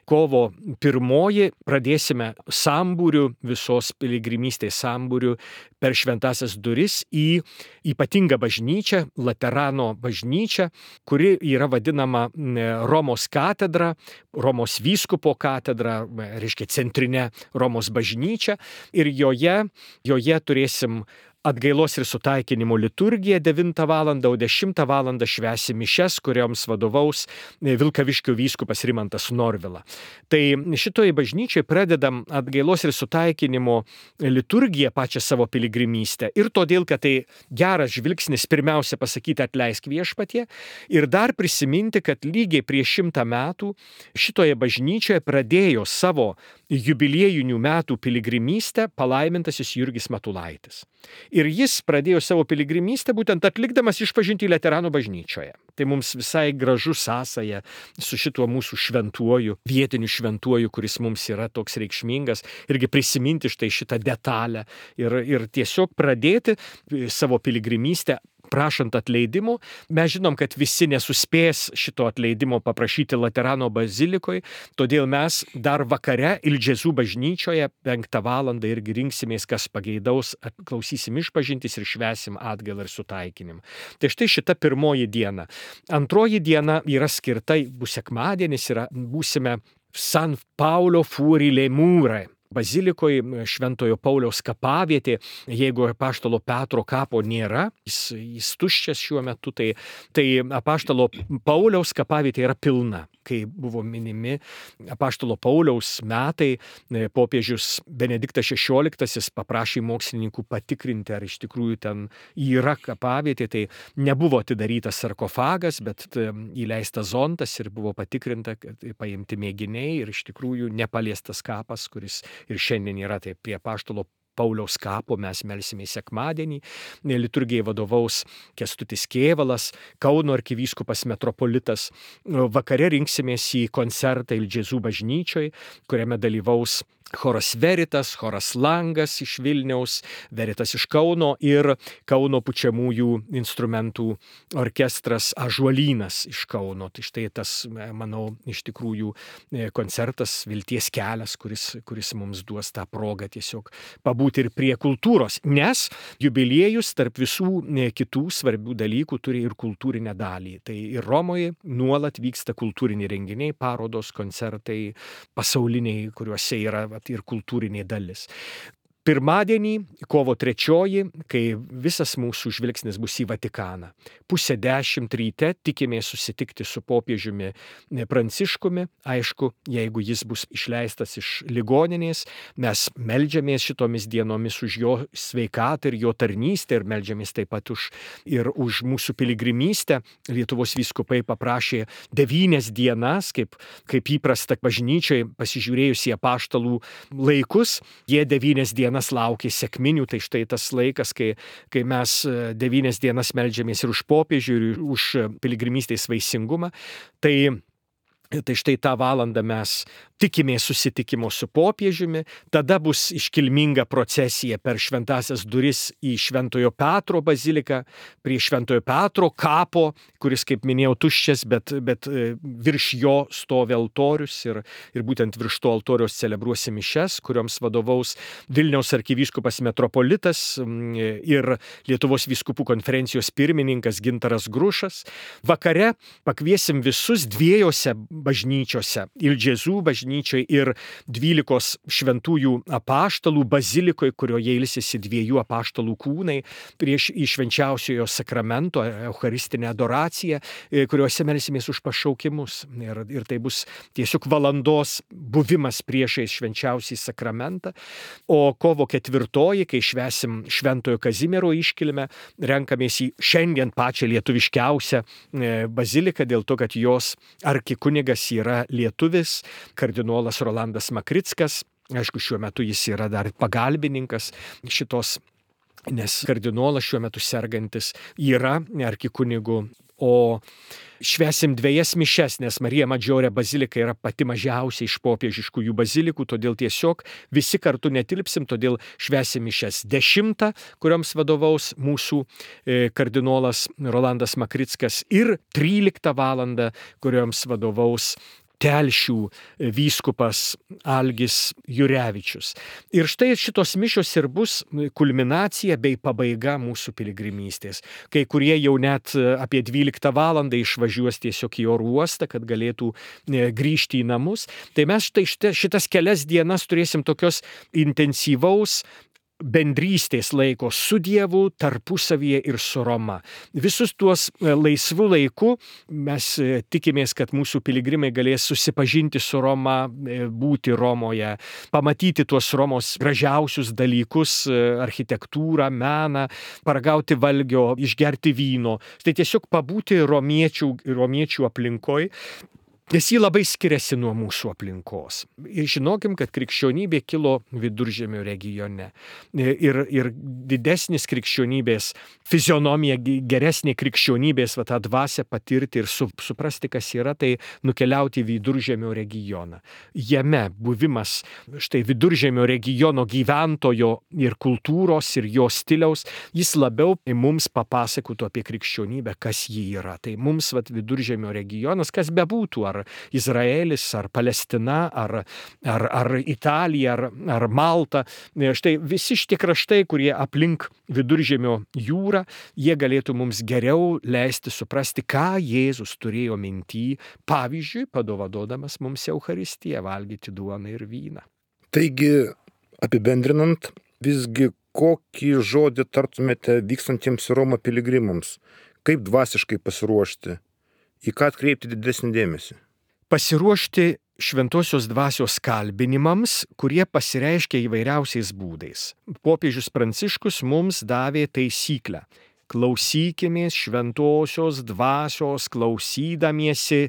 kovo 1, pradėsime sambūrių, visos piligrimystės sambūrių per šventasias duris į ypatingą bažnyčią, Laterano bažnyčią, kuri yra vadinama Romos katedra, Romos vyskupo katedra, reiškia centrinė Romos bažnyčia, ir joje turėsim atgailos ir sutaikinimo liturgiją 9 val. O 10 val. Švęsim mišias, kurioms vadovaus Vilkaviškio vyskupas Rimantas Norvila. Tai šitoje bažnyčioje pradedam atgailos ir sutaikinimo liturgiją, pačią savo piligrimystę. Ir todėl, kad tai geras žvilgsnis pirmiausia pasakyti atleisk viešpatie ir dar prisiminti, kad lygiai prieš 100 metų šitoje bažnyčioje pradėjo savo jubiliejinių metų piligrimystę palaimintasis Jurgis Matulaitis. Ir jis pradėjo savo piligrimystę būtent atlikdamas išpažintį Laterano bažnyčioje. Tai mums visai gražu sąsaja su šituo mūsų šventuoju, vietiniu šventuoju, kuris mums yra toks reikšmingas, irgi prisiminti štai šitą detalę ir tiesiog pradėti savo piligrimystę prašant atleidimo. Mes žinom, kad visi nesuspės šito atleidimo paprašyti Laterano bazilikoje, todėl mes dar vakare Ilžezų bažnyčioje 5 val. Irgi rinksimės, kas pageidaus, klausysim išpažintis ir švęsim atgailą ir sutaikinimą. Tai štai šita pirmoji diena. Antroji diena yra skirta, bus sekmadienis, būsime San Paulo Fuori le Mura bazilikoje, Šventojo Pauliaus kapavietė. Jeigu apaštalo Petro kapo nėra, jis tuščias šiuo metu, tai apaštalo Pauliaus kapavietė yra pilna. Kai buvo minimi apaštalo Pauliaus metai, popiežius Benediktas XVI paprašė mokslininkų patikrinti, ar iš tikrųjų ten yra kapavietė. Tai nebuvo atidarytas sarkofagas, bet įleistas zondas ir buvo patikrinta, paimti mėginiai ir iš tikrųjų nepaliestas kapas, kuris ir šiandien yra. Tai prie apaštalo Pauliaus kapo mes melsimės sekmadienį. Liturgijai vadovaus Kęstutis Kėvalas, Kauno arkivyskupas metropolitas. Vakare rinksimės į koncertą Ilžezų bažnyčioje, kuriame dalyvaus choras Veritas, choras Langas iš Vilniaus, Veritas iš Kauno ir Kauno pučiamųjų instrumentų orkestras Ąžuolynas iš Kauno. Tai štai tas, manau, iš tikrųjų koncertas, vilties kelias, kuris mums duos tą progą tiesiog pabūti ir prie kultūros, nes jubiliejus tarp visų kitų svarbių dalykų turi ir kultūrinę dalį. Tai ir Romoje nuolat vyksta kultūriniai renginiai, parodos, koncertai pasauliniai, kuriuose yra ir kultūrinė dalis. Pirmadienį, kovo 3, kai visas mūsų žvilgsnis bus į Vatikaną. 9:30 ryte tikimės susitikti su popiežiumi Pranciškumi. Aišku, jeigu jis bus išleistas iš ligoninės, mes meldžiamės šitomis dienomis už jo sveikatą ir jo tarnystę ir meldžiamės taip pat už mūsų piligrimystę. Lietuvos vyskupai paprašė 9 dienas, kaip įprasta bažnyčiai, pasižiūrėjus į apaštalų laikus, jie 9 dienas laukė sekminių. Tai štai tas laikas, kai mes 9 dienas meldžiamės ir už popiežių, ir už piligrimystės vaisingumą. Tai Tai štai tą valandą mes tikimės susitikimo su popiežiumi, tada bus iškilminga procesija per šventasias duris į Šventojo Petro baziliką, prie Šventojo Petro kapo, kuris, kaip minėjau, tuščias, bet virš jo stovi altorius ir būtent virš to altoriaus celebruosim mišias, kurioms vadovaus Vilniaus arkivyskupas metropolitas ir Lietuvos vyskupų konferencijos pirmininkas Gintaras Grušas. Vakare pakviesim visus dviejose bažnyčiose, Ilžezų bažnyčioje ir 12 šventųjų apaštalų bazilikoje, kurioje ilsisi 2 apaštalų kūnai prieš į švenčiausiojo sakramento, eucharistinę adoraciją, kuriuose melsimės už pašaukimus. Ir tai bus tiesiog valandos buvimas priešais švenčiausiai sakramentą. O kovo 4, kai švęsim Šventojo Kazimiero iškilmę, renkamės į šiandien pačią lietuviškiausią baziliką, dėl to, kad jos arkikunigas yra lietuvis, kardinolas Rolandas Makrickas. Aišku, šiuo metu jis yra dar pagalbininkas šitos, nes kardinolas šiuo metu sergantis yra arkikunigu. O švęsim 2 mišias, nes Marija Madžiorė bazilika yra pati mažiausia iš popiežiškųjų bazilikų, todėl tiesiog visi kartu netilpsim, todėl švęsim mišias 10, kurioms vadovaus mūsų kardinolas Rolandas Makrickas, ir 13 valandą, kurioms vadovaus Telšių vyskupas Algis Jurevičius. Ir štai šitos mišios ir bus kulminacija bei pabaiga mūsų piligrimystės. Kai kurie jau net apie 12 valandą išvažiuos tiesiog į oro uostą, kad galėtų grįžti į namus. Tai mes štai šitas kelias dienas turėsim tokios intensyvaus bendrystės laiko su Dievu, tarpusavyje ir su Roma. Visus tuos laisvų laikų mes tikimės, kad mūsų piligrimai galės susipažinti su Roma, būti Romoje, pamatyti tuos Romos gražiausius dalykus, architektūrą, meną, paragauti valgio, išgerti vyno. Tai tiesiog pabūti romiečių aplinkoje. Nes jį labai skiriasi nuo mūsų aplinkos. Ir žinokim, kad krikščionybė kilo Viduržemio regione. Ir didesnis krikščionybės fizionomija, geresnė krikščionybės tą dvasią patirti ir suprasti, kas yra, tai nukeliauti į Viduržemio regioną. Jame buvimas štai Viduržemio regiono gyventojo ir kultūros ir jo stiliaus, jis labiau mums papasakotų apie krikščionybę, kas ji yra. Tai mums Viduržemio regionas, kas bebūtų, ar Izraelis, ar Palestina, ar Italija, ar Malta. Štai visi šitie kraštai, kurie aplink Viduržemio jūrą, jie galėtų mums geriau leisti suprasti, ką Jėzus turėjo minty, pavyzdžiui, padovanodamas mums Eucharistiją, valgyti duoną ir vyną. Taigi, apibendrinant, visgi kokį žodį tartumėte vykstantiems į Romą piligrimams? Kaip dvasiškai pasiruošti? Į ką atkreipti didesnį dėmesį? Pasiruošti šventosios dvasios kalbinimams, kurie pasireiškia įvairiausiais būdais. Popiežius Pranciškus mums davė taisyklę. Klausykimės šventosios dvasios, klausydamiesi,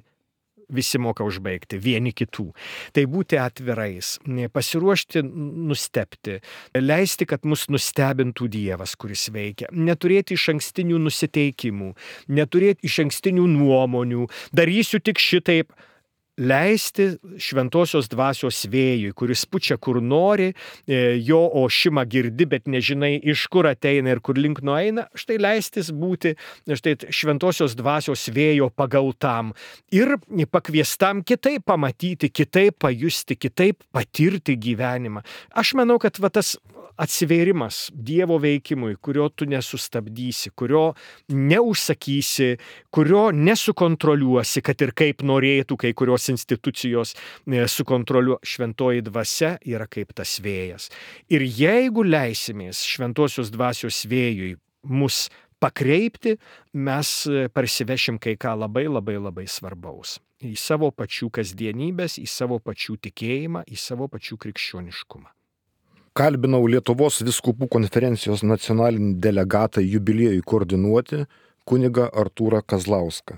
visi moka užbaigti, vieni kitų. Tai būti atvirais, pasiruošti nustebti, leisti, kad mus nustebintų Dievas, kuris veikia, neturėti išankstinių nusiteikimų, neturėti išankstinių nuomonių, darysiu tik šitaip. Leisti šventosios dvasios vėjui, kuris pučia kur nori, jo ošimą girdi, bet nežinai, iš kur ateina ir kur link nueina, štai leistis būti štai šventosios dvasios vėjo pagautam ir pakviestam kitaip pamatyti, kitaip pajusti, kitaip patirti gyvenimą. Aš manau, kad tas atsivėrimas Dievo veikimui, kurio tu nesustabdysi, kurio neužsakysi, kurio nesukontroliuosi, kad ir kaip norėtų kai kurios institucijos sukontroliuoti, šventoji dvasia yra kaip tas vėjas. Ir jeigu leisimės šventosios dvasios vėjui mus pakreipti, mes parsivešim kai ką labai, labai, labai svarbaus. Į savo pačių kasdienybės, į savo pačių tikėjimą, į savo pačių krikščioniškumą. Kalbinau Lietuvos vyskupų konferencijos nacionalinį delegatą jubiliejui koordinuoti kunigą Artūrą Kazlauską.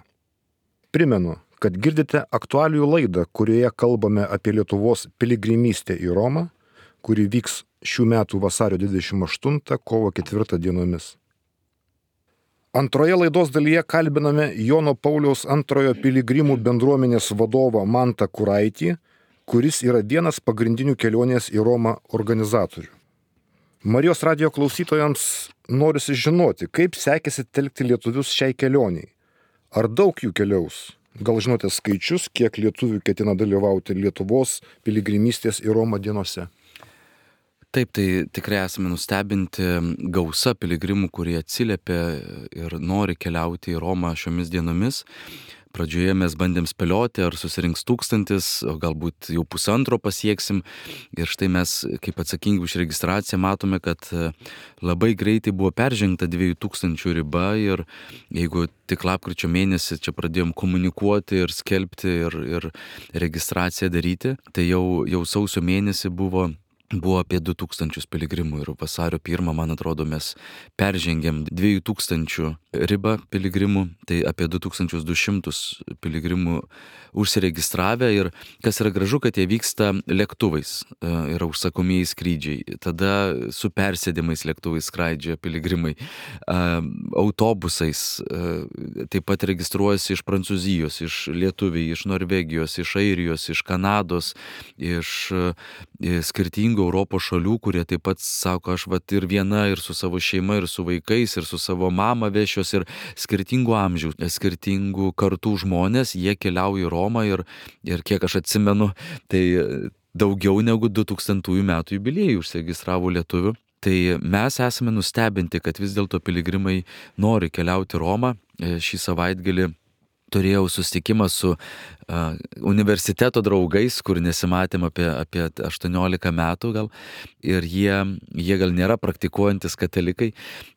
Primenu, kad girdite aktualijų laidą, kurioje kalbame apie Lietuvos piligrimystę į Romą, kuri vyks šių metų vasario 28, kovo 4 dienomis. Antroje laidos dalyje kalbiname Jono Pauliaus antrojo piligrimų bendruomenės vadovą Mantą Kuraitį, kuris yra vienas pagrindinių kelionės į Romą organizatorių. Marijos radijo klausytojams norisi žinoti, kaip sekėsi telkti lietuvius šiai kelioniai. Ar daug jų keliaus? Gal žinote skaičius, kiek lietuvių ketina dalyvauti Lietuvos piligrimystės į Romą dienose? Taip, tai tikrai esame nustebinti gausa piligrimų, kurie atsiliepia ir nori keliauti į Romą šiomis dienomis. Pradžioje mes bandėm spėlioti, ar susirinks 1000, o galbūt jau 1,5 pasieksim. Ir štai mes, kaip atsakingi už registraciją, matome, kad labai greitai buvo peržengta 2000 riba ir jeigu tik lapkričio mėnesį čia pradėjom komunikuoti ir skelbti ir registraciją daryti, tai jau sausio mėnesį buvo apie 2000 piligrimų ir vasario 1, man atrodo, mes peržengėm 2000 ribą piligrimų, tai apie 2200 piligrimų užsiregistravę ir kas yra gražu, kad jie vyksta lėktuvais, yra užsakomieji skrydžiai, tada su persėdimais lėktuvais skraidžia piligrimai, autobusais, taip pat registruojasi iš Prancūzijos, iš Lietuviai, iš Norvegijos, iš Airijos, iš Kanados, iš skirtingų Europos šalių, kurie taip pat sako, aš ir viena, ir su savo šeima, ir su vaikais, ir su savo mama vešios, ir skirtingų amžių, skirtingų kartų žmonės, jie keliauja į Romą ir kiek aš atsimenu, tai daugiau negu 2000 metų jubiliejų užsiregistravo lietuvių. Tai mes esame nustebinti, kad vis dėlto piligrimai nori keliauti į Romą. Šį savaitgalį turėjau susitikimą su universiteto draugais, kur nesimatėm apie 18 metų gal, ir jie gal nėra praktikuojantis katalikai,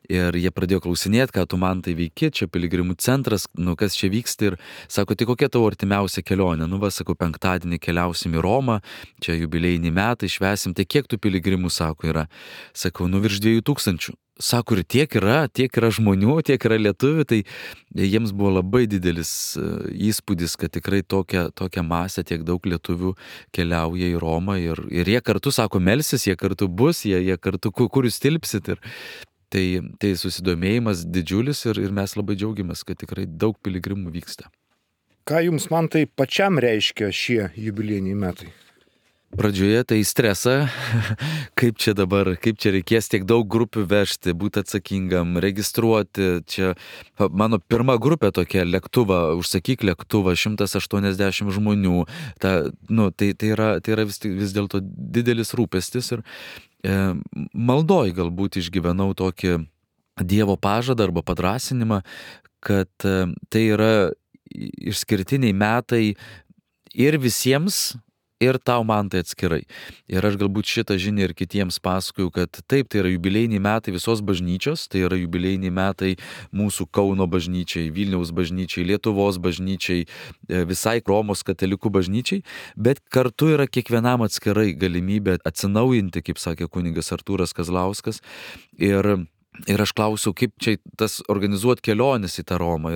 ir jie pradėjo klausinėti, ką tu man tai veiki, čia piligrimų centras, kas čia vyksta, ir sako, tai kokia tavo artimiausia kelionė? Sakau, penktadienį keliausim į Romą, čia jubiliejiniai metai, švęsim, tai kiek tų piligrimų, sako, yra? Sakau, virš 2000. Sako, ir tiek yra žmonių, tiek yra lietuvių, tai jiems buvo labai didelis įspūdis, kad tikrai tokia masė, tiek daug lietuvių keliauja į Romą ir jie kartu, sako, melsis, jie kartu bus, jie kartu, kur jūs tilpsit. Ir tai susidomėjimas didžiulis ir mes labai džiaugiamės, kad tikrai daug piligrimų vyksta. Ką jums, man tai pačiam reiškia šie jubiliejiniai metai? Pradžioje tai stresą, kaip čia reikės tiek daug grupių vežti, būti atsakingam, registruoti. Čia mano pirma grupė tokia, užsakyk lėktuvą, 180 žmonių. Tai yra vis dėlto didelis rūpestis ir maldoj galbūt išgyvenau tokį Dievo pažadą arba padrąsinimą, kad tai yra išskirtiniai metai ir visiems, ir tau, man tai atskirai. Ir aš galbūt šitą žinią ir kitiems pasakoju, kad taip, tai yra jubiliejiniai metai visos bažnyčios, tai yra jubiliejiniai metai mūsų Kauno bažnyčiai, Vilniaus bažnyčiai, Lietuvos bažnyčiai, visai Romos katalikų bažnyčiai, bet kartu yra kiekvienam atskirai galimybė atsinaujinti, kaip sakė kunigas Artūras Kazlauskas. Ir aš klausiau, kaip čia tas organizuoti keliones į tą Romą.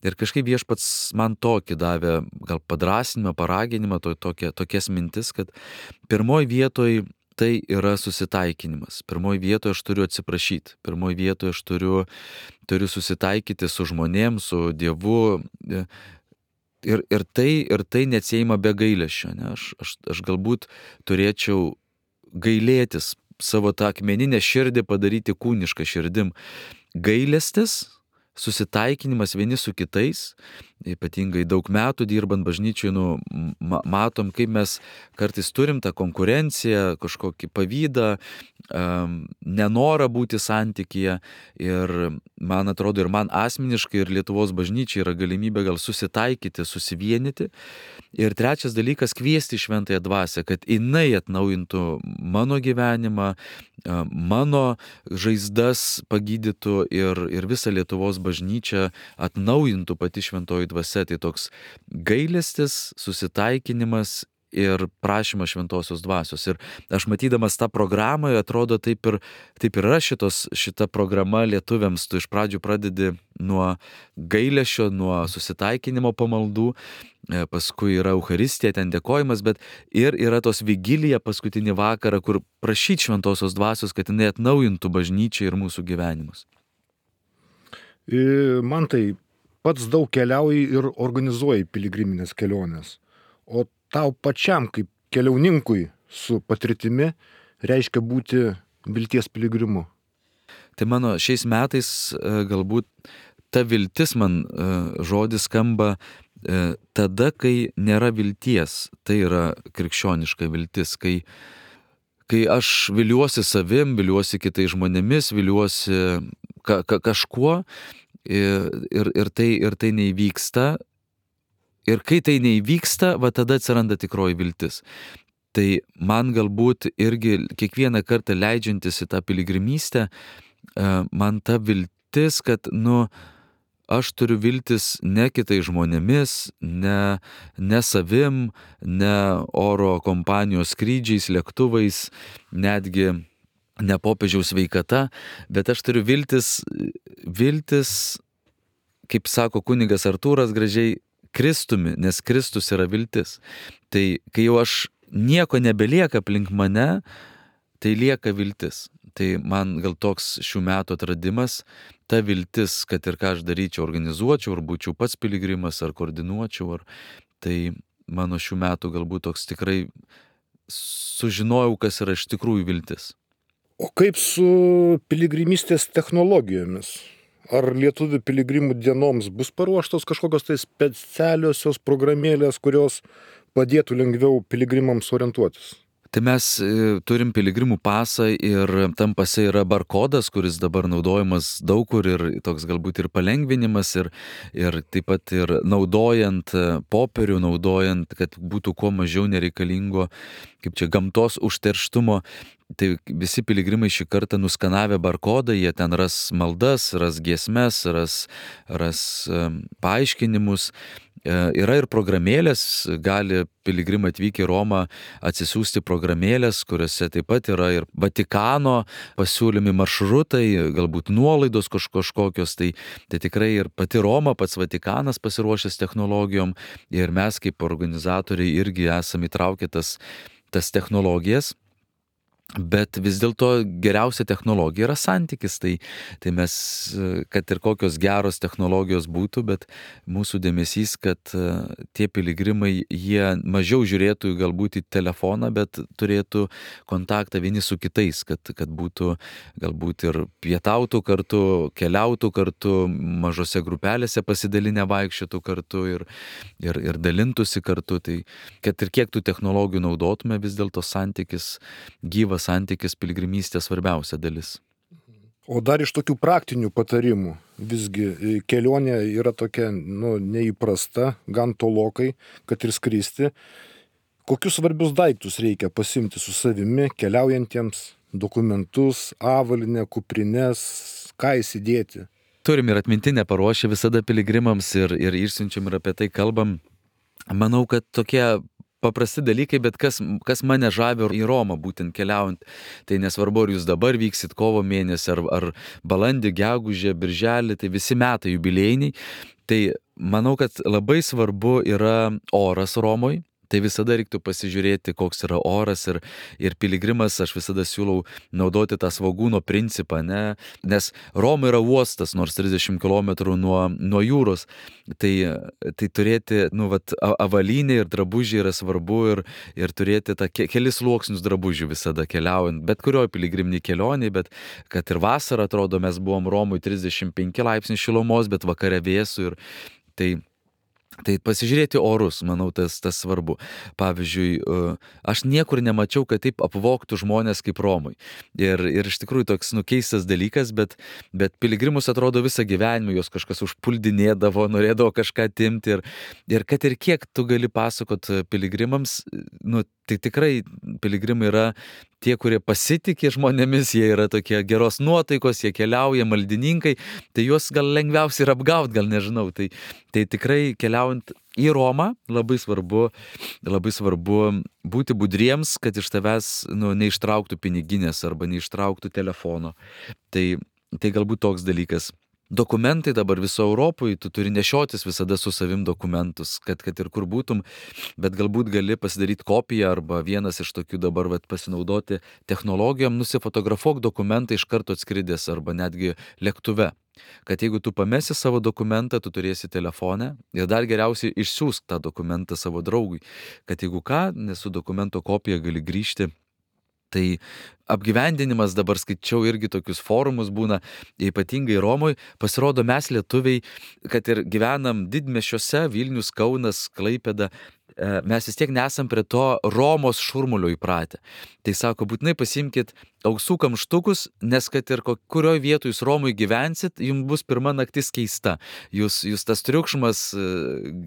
Ir kažkaip viešpats man tokį davė, gal padrąsinimą, paraginimą, tokias mintis, kad pirmoj vietoj tai yra susitaikinimas. Pirmoj vietoje aš turiu atsiprašyti. Pirmoj vietoje aš turiu susitaikyti su žmonėm, su Dievu. Ir tai neatsiejama be gailesčio. Ne? Aš galbūt turėčiau gailėtis, savo tą akmeninę širdį padaryti kūnišką širdim. Gailestis, susitaikinimas vieni su kitais, ypatingai daug metų dirbant bažnyčiai, matom, kaip mes kartais turim tą konkurenciją, kažkokį pavydą, nenorą būti santykyje. Ir man atrodo, ir man asmeniškai, ir Lietuvos bažnyčiai yra galimybė gal susitaikyti, susivienyti. Ir trečias dalykas, kviesti Šventąją Dvasią, kad jinai atnaujintų mano gyvenimą, mano žaizdas pagydytų ir visą Lietuvos bažnyčią atnaujintų pati Šventoji Dvasia. Tai toks gailestis, susitaikinimas ir prašymas Šventosios Dvasios. Ir aš matydamas tą programą, atrodo, taip ir yra šita programa lietuviams. Tu iš pradžių pradedi nuo gailesčio, nuo susitaikinimo pamaldų, paskui yra Eucharistija, ten dėkojimas, bet ir yra tos vigilija paskutinį vakarą, kur prašyti Šventosios Dvasios, kad jinai atnaujintų bažnyčią ir mūsų gyvenimus. Man tai pats daug keliauji ir organizuoji piligriminės kelionės. O tau pačiam kaip keliauninkui su patirtimi reiškia būti vilties piligrimu. Tai mano šiais metais galbūt ta viltis man žodis skamba tada, kai nėra vilties. Tai yra krikščioniška viltis, kai aš viliuosi savim, viliuosi kitais žmonėmis, viliuosi kažkuo ir tai neįvyksta. Ir kai tai neįvyksta, va tada atsiranda tikroji viltis. Tai man galbūt irgi kiekvieną kartą leidžiantis į tą piligrimystę, man ta viltis, kad, aš turiu viltis ne kitais žmonėmis, ne savim, ne oro kompanijos skrydžiais, lėktuvais, netgi ne popiežiaus sveikata, bet aš turiu viltis, kaip sako kunigas Artūras gražiai, Kristumi, nes Kristus yra viltis. Tai kai jau aš nieko nebelieka aplink mane, tai lieka viltis. Tai man gal toks šių metų atradimas, ta viltis, kad ir ką aš daryčiau, organizuočiau, ar būčiau pats piligrimas, ar koordinuočiau, tai mano šių metų galbūt toks tikrai sužinojau, kas yra iš tikrųjų viltis. O kaip su piligrimystės technologijomis? Ar lietuvių piligrimų dienoms bus paruoštos kažkokios tai specialiosios programėlės, kurios padėtų lengviau piligrimams orientuotis? Tai mes turim piligrimų pasą ir tam pase yra barkodas, kuris dabar naudojamas daug kur ir toks galbūt ir palengvinimas ir taip pat ir naudojant popierių, naudojant, kad būtų kuo mažiau nereikalingo, kaip čia gamtos užterštumo. Tai visi piligrimai šį kartą nuskanavę barkodą, jie ten ras maldas, ras giesmes, ras paaiškinimus. Yra ir programėlės, gali piligrimai atvykę į Romą atsisiųsti programėlės, kuriuose taip pat yra ir Vatikano pasiūlymi maršrutai, galbūt nuolaidos kažkokios, tai tikrai ir pati Roma, pats Vatikanas pasiruošęs technologijom ir mes kaip organizatoriai irgi esame įtraukę tas technologijas. Bet vis dėlto geriausia technologija yra santykis, tai mes, kad ir kokios geros technologijos būtų, bet mūsų dėmesys, kad tie piligrimai, jie mažiau žiūrėtų galbūt į telefoną, bet turėtų kontaktą vieni su kitais, kad būtų galbūt ir pietautų kartu, keliautų kartu, mažose grupelėse pasidalinę vaikščiotų kartu ir dalintųsi kartu. Tai kad ir kiek tų technologijų naudotume, vis dėlto santykis, gyvas santykis piligrimystės svarbiausia dalis. O dar iš tokių praktinių patarimų, visgi kelionė yra tokia neįprasta, gan tolokai, kad ir skristi. Kokius svarbius daiktus reikia pasimti su savimi keliaujantiems, dokumentus, avalynę, kuprines, ką įsidėti? Turim ir atmintinę paruošę visada piligrimams ir išsiunčiam ir apie tai kalbam. Manau, kad tokie paprasti dalykai, bet kas mane žavi į Romą būtent keliaujant, tai nesvarbu, ar jūs dabar vyksit kovo mėnesį, ar balandį, gegužę, birželį, tai visi metai jubiliejiniai. Tai manau, kad labai svarbu yra oras Romoj. Tai visada reiktų pasižiūrėti, koks yra oras ir piligrimas, aš visada siūlau naudoti tą svogūno principą, nes Roma yra uostas, nors 30 km nuo jūros. Tai turėti avalynę ir drabužį yra svarbu ir turėti tą kelis sluoksnius drabužių visada keliaujant, bet kurioj piligriminiai kelioniai, bet kad ir vasarą, atrodo, mes buvom Romui 35 laipsnių šilumos, bet vakare vėsų ir tai pasižiūrėti orus, manau, tas svarbu. Pavyzdžiui, aš niekur nemačiau, kad taip apvogtų žmonės kaip Romai. Ir iš tikrųjų toks keistas dalykas, bet piligrimus atrodo visą gyvenimą, jos kažkas užpuldinėdavo, norėdavo kažką atimti. Ir kad ir kiek tu gali pasakot piligrimams, tai tikrai piligrimai yra tie, kurie pasitikė žmonėmis, jie yra tokie geros nuotaikos, jie keliauja, maldininkai, tai juos gal lengviausiai ir apgaut, gal nežinau. Tai tikrai keliaujant į Romą labai svarbu būti budriems, kad iš tavęs neištrauktų piniginės arba neištrauktų telefono. Tai galbūt toks dalykas. Dokumentai dabar viso Europoje, tu turi nešiotis visada su savim dokumentus, kad ir kur būtum, bet galbūt gali pasidaryti kopiją arba vienas iš tokių dabar pasinaudoti technologijom, nusifotografuok dokumentą iš karto atskridęs arba netgi lėktuve. Kad jeigu tu pamesi savo dokumentą, tu turėsi telefoną ir dar geriausiai išsiųsk tą dokumentą savo draugui, kad jeigu ką, su dokumento kopija gali grįžti. Tai apgyvendinimas, dabar skaičiau irgi tokius forumus būna, ypatingai Romoje, pasirodo mes lietuviai, kad ir gyvenam didmiesčiuose, Vilnius, Kaunas, Klaipėda, mes vis tiek nesam prie to Romos šurmulio įpratę. Tai sako, būtinai pasimkit ausų kamštukus, nes kad ir kurioje vietoje jūs Romoje gyvensit, jums bus pirma naktis keista. Jūs tas triukšmas,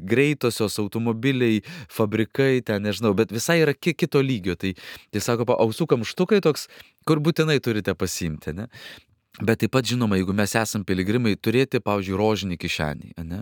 greitosios automobiliai, fabrikai, ten nežinau, bet visai yra kito lygio. Tai sako, ausų kamštukai toks, kur būtinai turite pasimti, ne? Bet taip pat, žinoma, jeigu mes esam piligrimai, turėti, pavyzdžiui, rožinį kišenį, ne?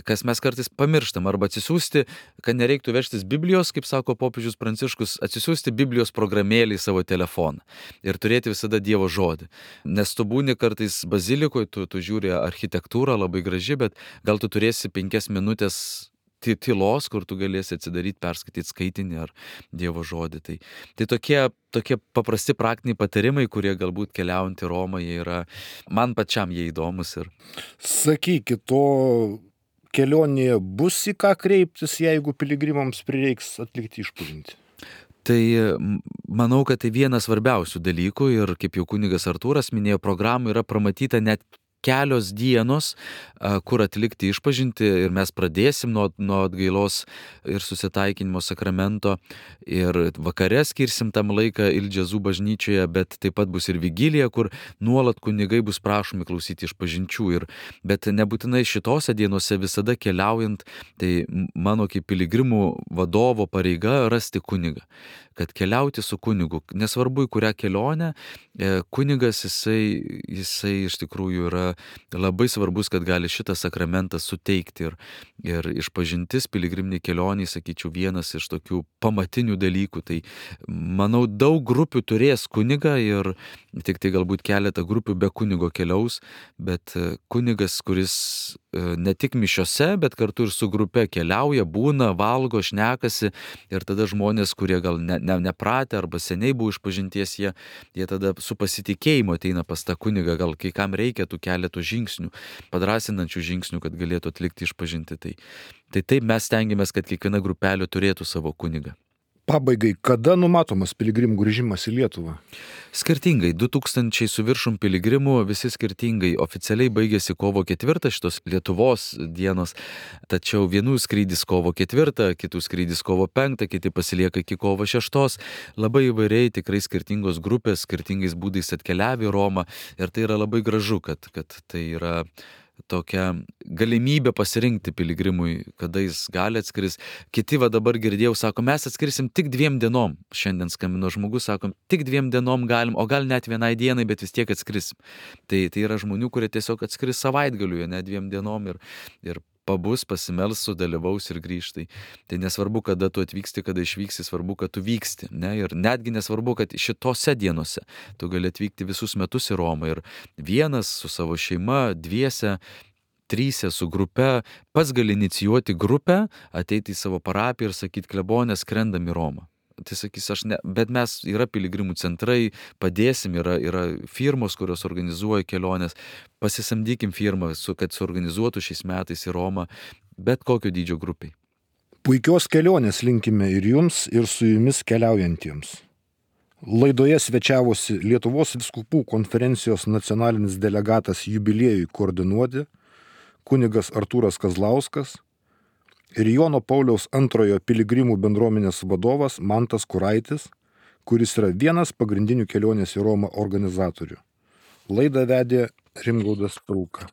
Kas mes kartais pamirštam, arba atsisiųsti, kad nereiktų vežtis Biblijos, kaip sako popiežius Pranciškus, atsisiųsti Biblijos programėlį į savo telefoną ir turėti visada Dievo žodį. Nes tu būni kartais bazilikoje, tu žiūri architektūrą labai graži, bet gal tu turėsi 5 minutės tylos, kur tu galėsi atsidaryti, perskaityti skaitinį ar Dievo žodį. Tai tokie paprasti praktiniai patarimai, kurie galbūt keliaujant į Romą, jie yra, man pačiam jie įdomus. Sakykit, to kelionėje bus į ką kreiptis, jeigu piligrimams prireiks atlikti išpažintį? Tai manau, kad tai vienas svarbiausių dalykų ir kaip jau kunigas Artūras minėjo, programų yra pramatyta net kelios dienos, kur atlikti išpažintį ir mes pradėsim nuo atgailos ir susitaikinimo sakramento ir vakare skirsim tam laiką Ildžezų bažnyčioje, bet taip pat bus ir vigilija, kur nuolat kunigai bus prašomi klausyti išpažinčių. Bet nebūtinai šitose dienose visada keliaujant, tai mano kaip piligrimų vadovo pareiga rasti kunigą. Kad keliauti su kunigu, nesvarbu į kurią kelionę, kunigas jisai iš tikrųjų yra labai svarbus, kad gali šitą sakramentą suteikti ir išpažintis piligriminį kelionį, sakyčiau, vienas iš tokių pamatinių dalykų. Tai manau, daug grupių turės kunigą ir tik tai galbūt keletą grupių be kunigo keliaus, bet kunigas, kuris ne tik mišiose, bet kartu ir su grupe keliauja, būna, valgo, šnekasi ir tada žmonės, kurie gal nepratę arba seniai buvo išpažinties, jie tada su pasitikėjimu ateina pas tą kunigą, gal kai kam reikia tų keletų žingsnių, padrasinančių žingsnių, kad galėtų atlikti išpažinti. Tai taip mes stengiamės, kad kiekviena grupelė turėtų savo kunigą. Pabaigai, kada numatomas piligrimų grįžimas į Lietuvą? Skirtingai, 2000 su viršum piligrimų, visi skirtingai. Oficialiai baigėsi kovo 4 šitos Lietuvos dienos, tačiau vienų skrydis kovo 4, kitų skrydis kovo 5, kiti pasilieka iki kovo 6. Labai įvairiai, tikrai skirtingos grupės, skirtingais būdais atkeliavę į Romą ir tai yra labai gražu, kad tai yra tokia galimybė pasirinkti piligrimui, kada jis gali atskris. Kiti dabar girdėjau, sako, mes atskrisim tik 2 dienom. Šiandien skambino žmogus, sakom, tik 2 dienom galim, o gal net 1 dienai, bet vis tiek atskrisim. Tai yra žmonių, kurie tiesiog atskris savaitgaliu, ne 2 dienom ir pabus, pasimels, sudalyvaus ir grįžtai. Tai nesvarbu, kada tu atvyksti, kada išvyksti, svarbu, kad tu vyksti. Ne? Ir netgi nesvarbu, kad šitose dienose tu gali atvykti visus metus į Romą ir vienas su savo šeima, 2, 3 su grupe, pats gali inicijuoti grupę, ateiti į savo parapiją ir sakyti, klebonė, skrendam į Romą. Tai sakys, bet mes yra piligrimų centrai, padėsim, yra firmos, kurios organizuoja keliones, pasisamdykim firmą, kad suorganizuotų šiais metais į Romą, bet kokio dydžio grupiai. Puikios kelionės linkime ir jums, ir su jumis keliaujantiems. Laidoje svečiavosi Lietuvos vyskupų konferencijos nacionalinis delegatas jubiliejui koordinuoti, kunigas Artūras Kazlauskas, ir Jono Pauliaus II piligrimų bendruomenės vadovas Mantas Kuraitis, kuris yra vienas pagrindinių kelionės į Romą organizatorių. Laidą vedė Rimgaudas Rūka.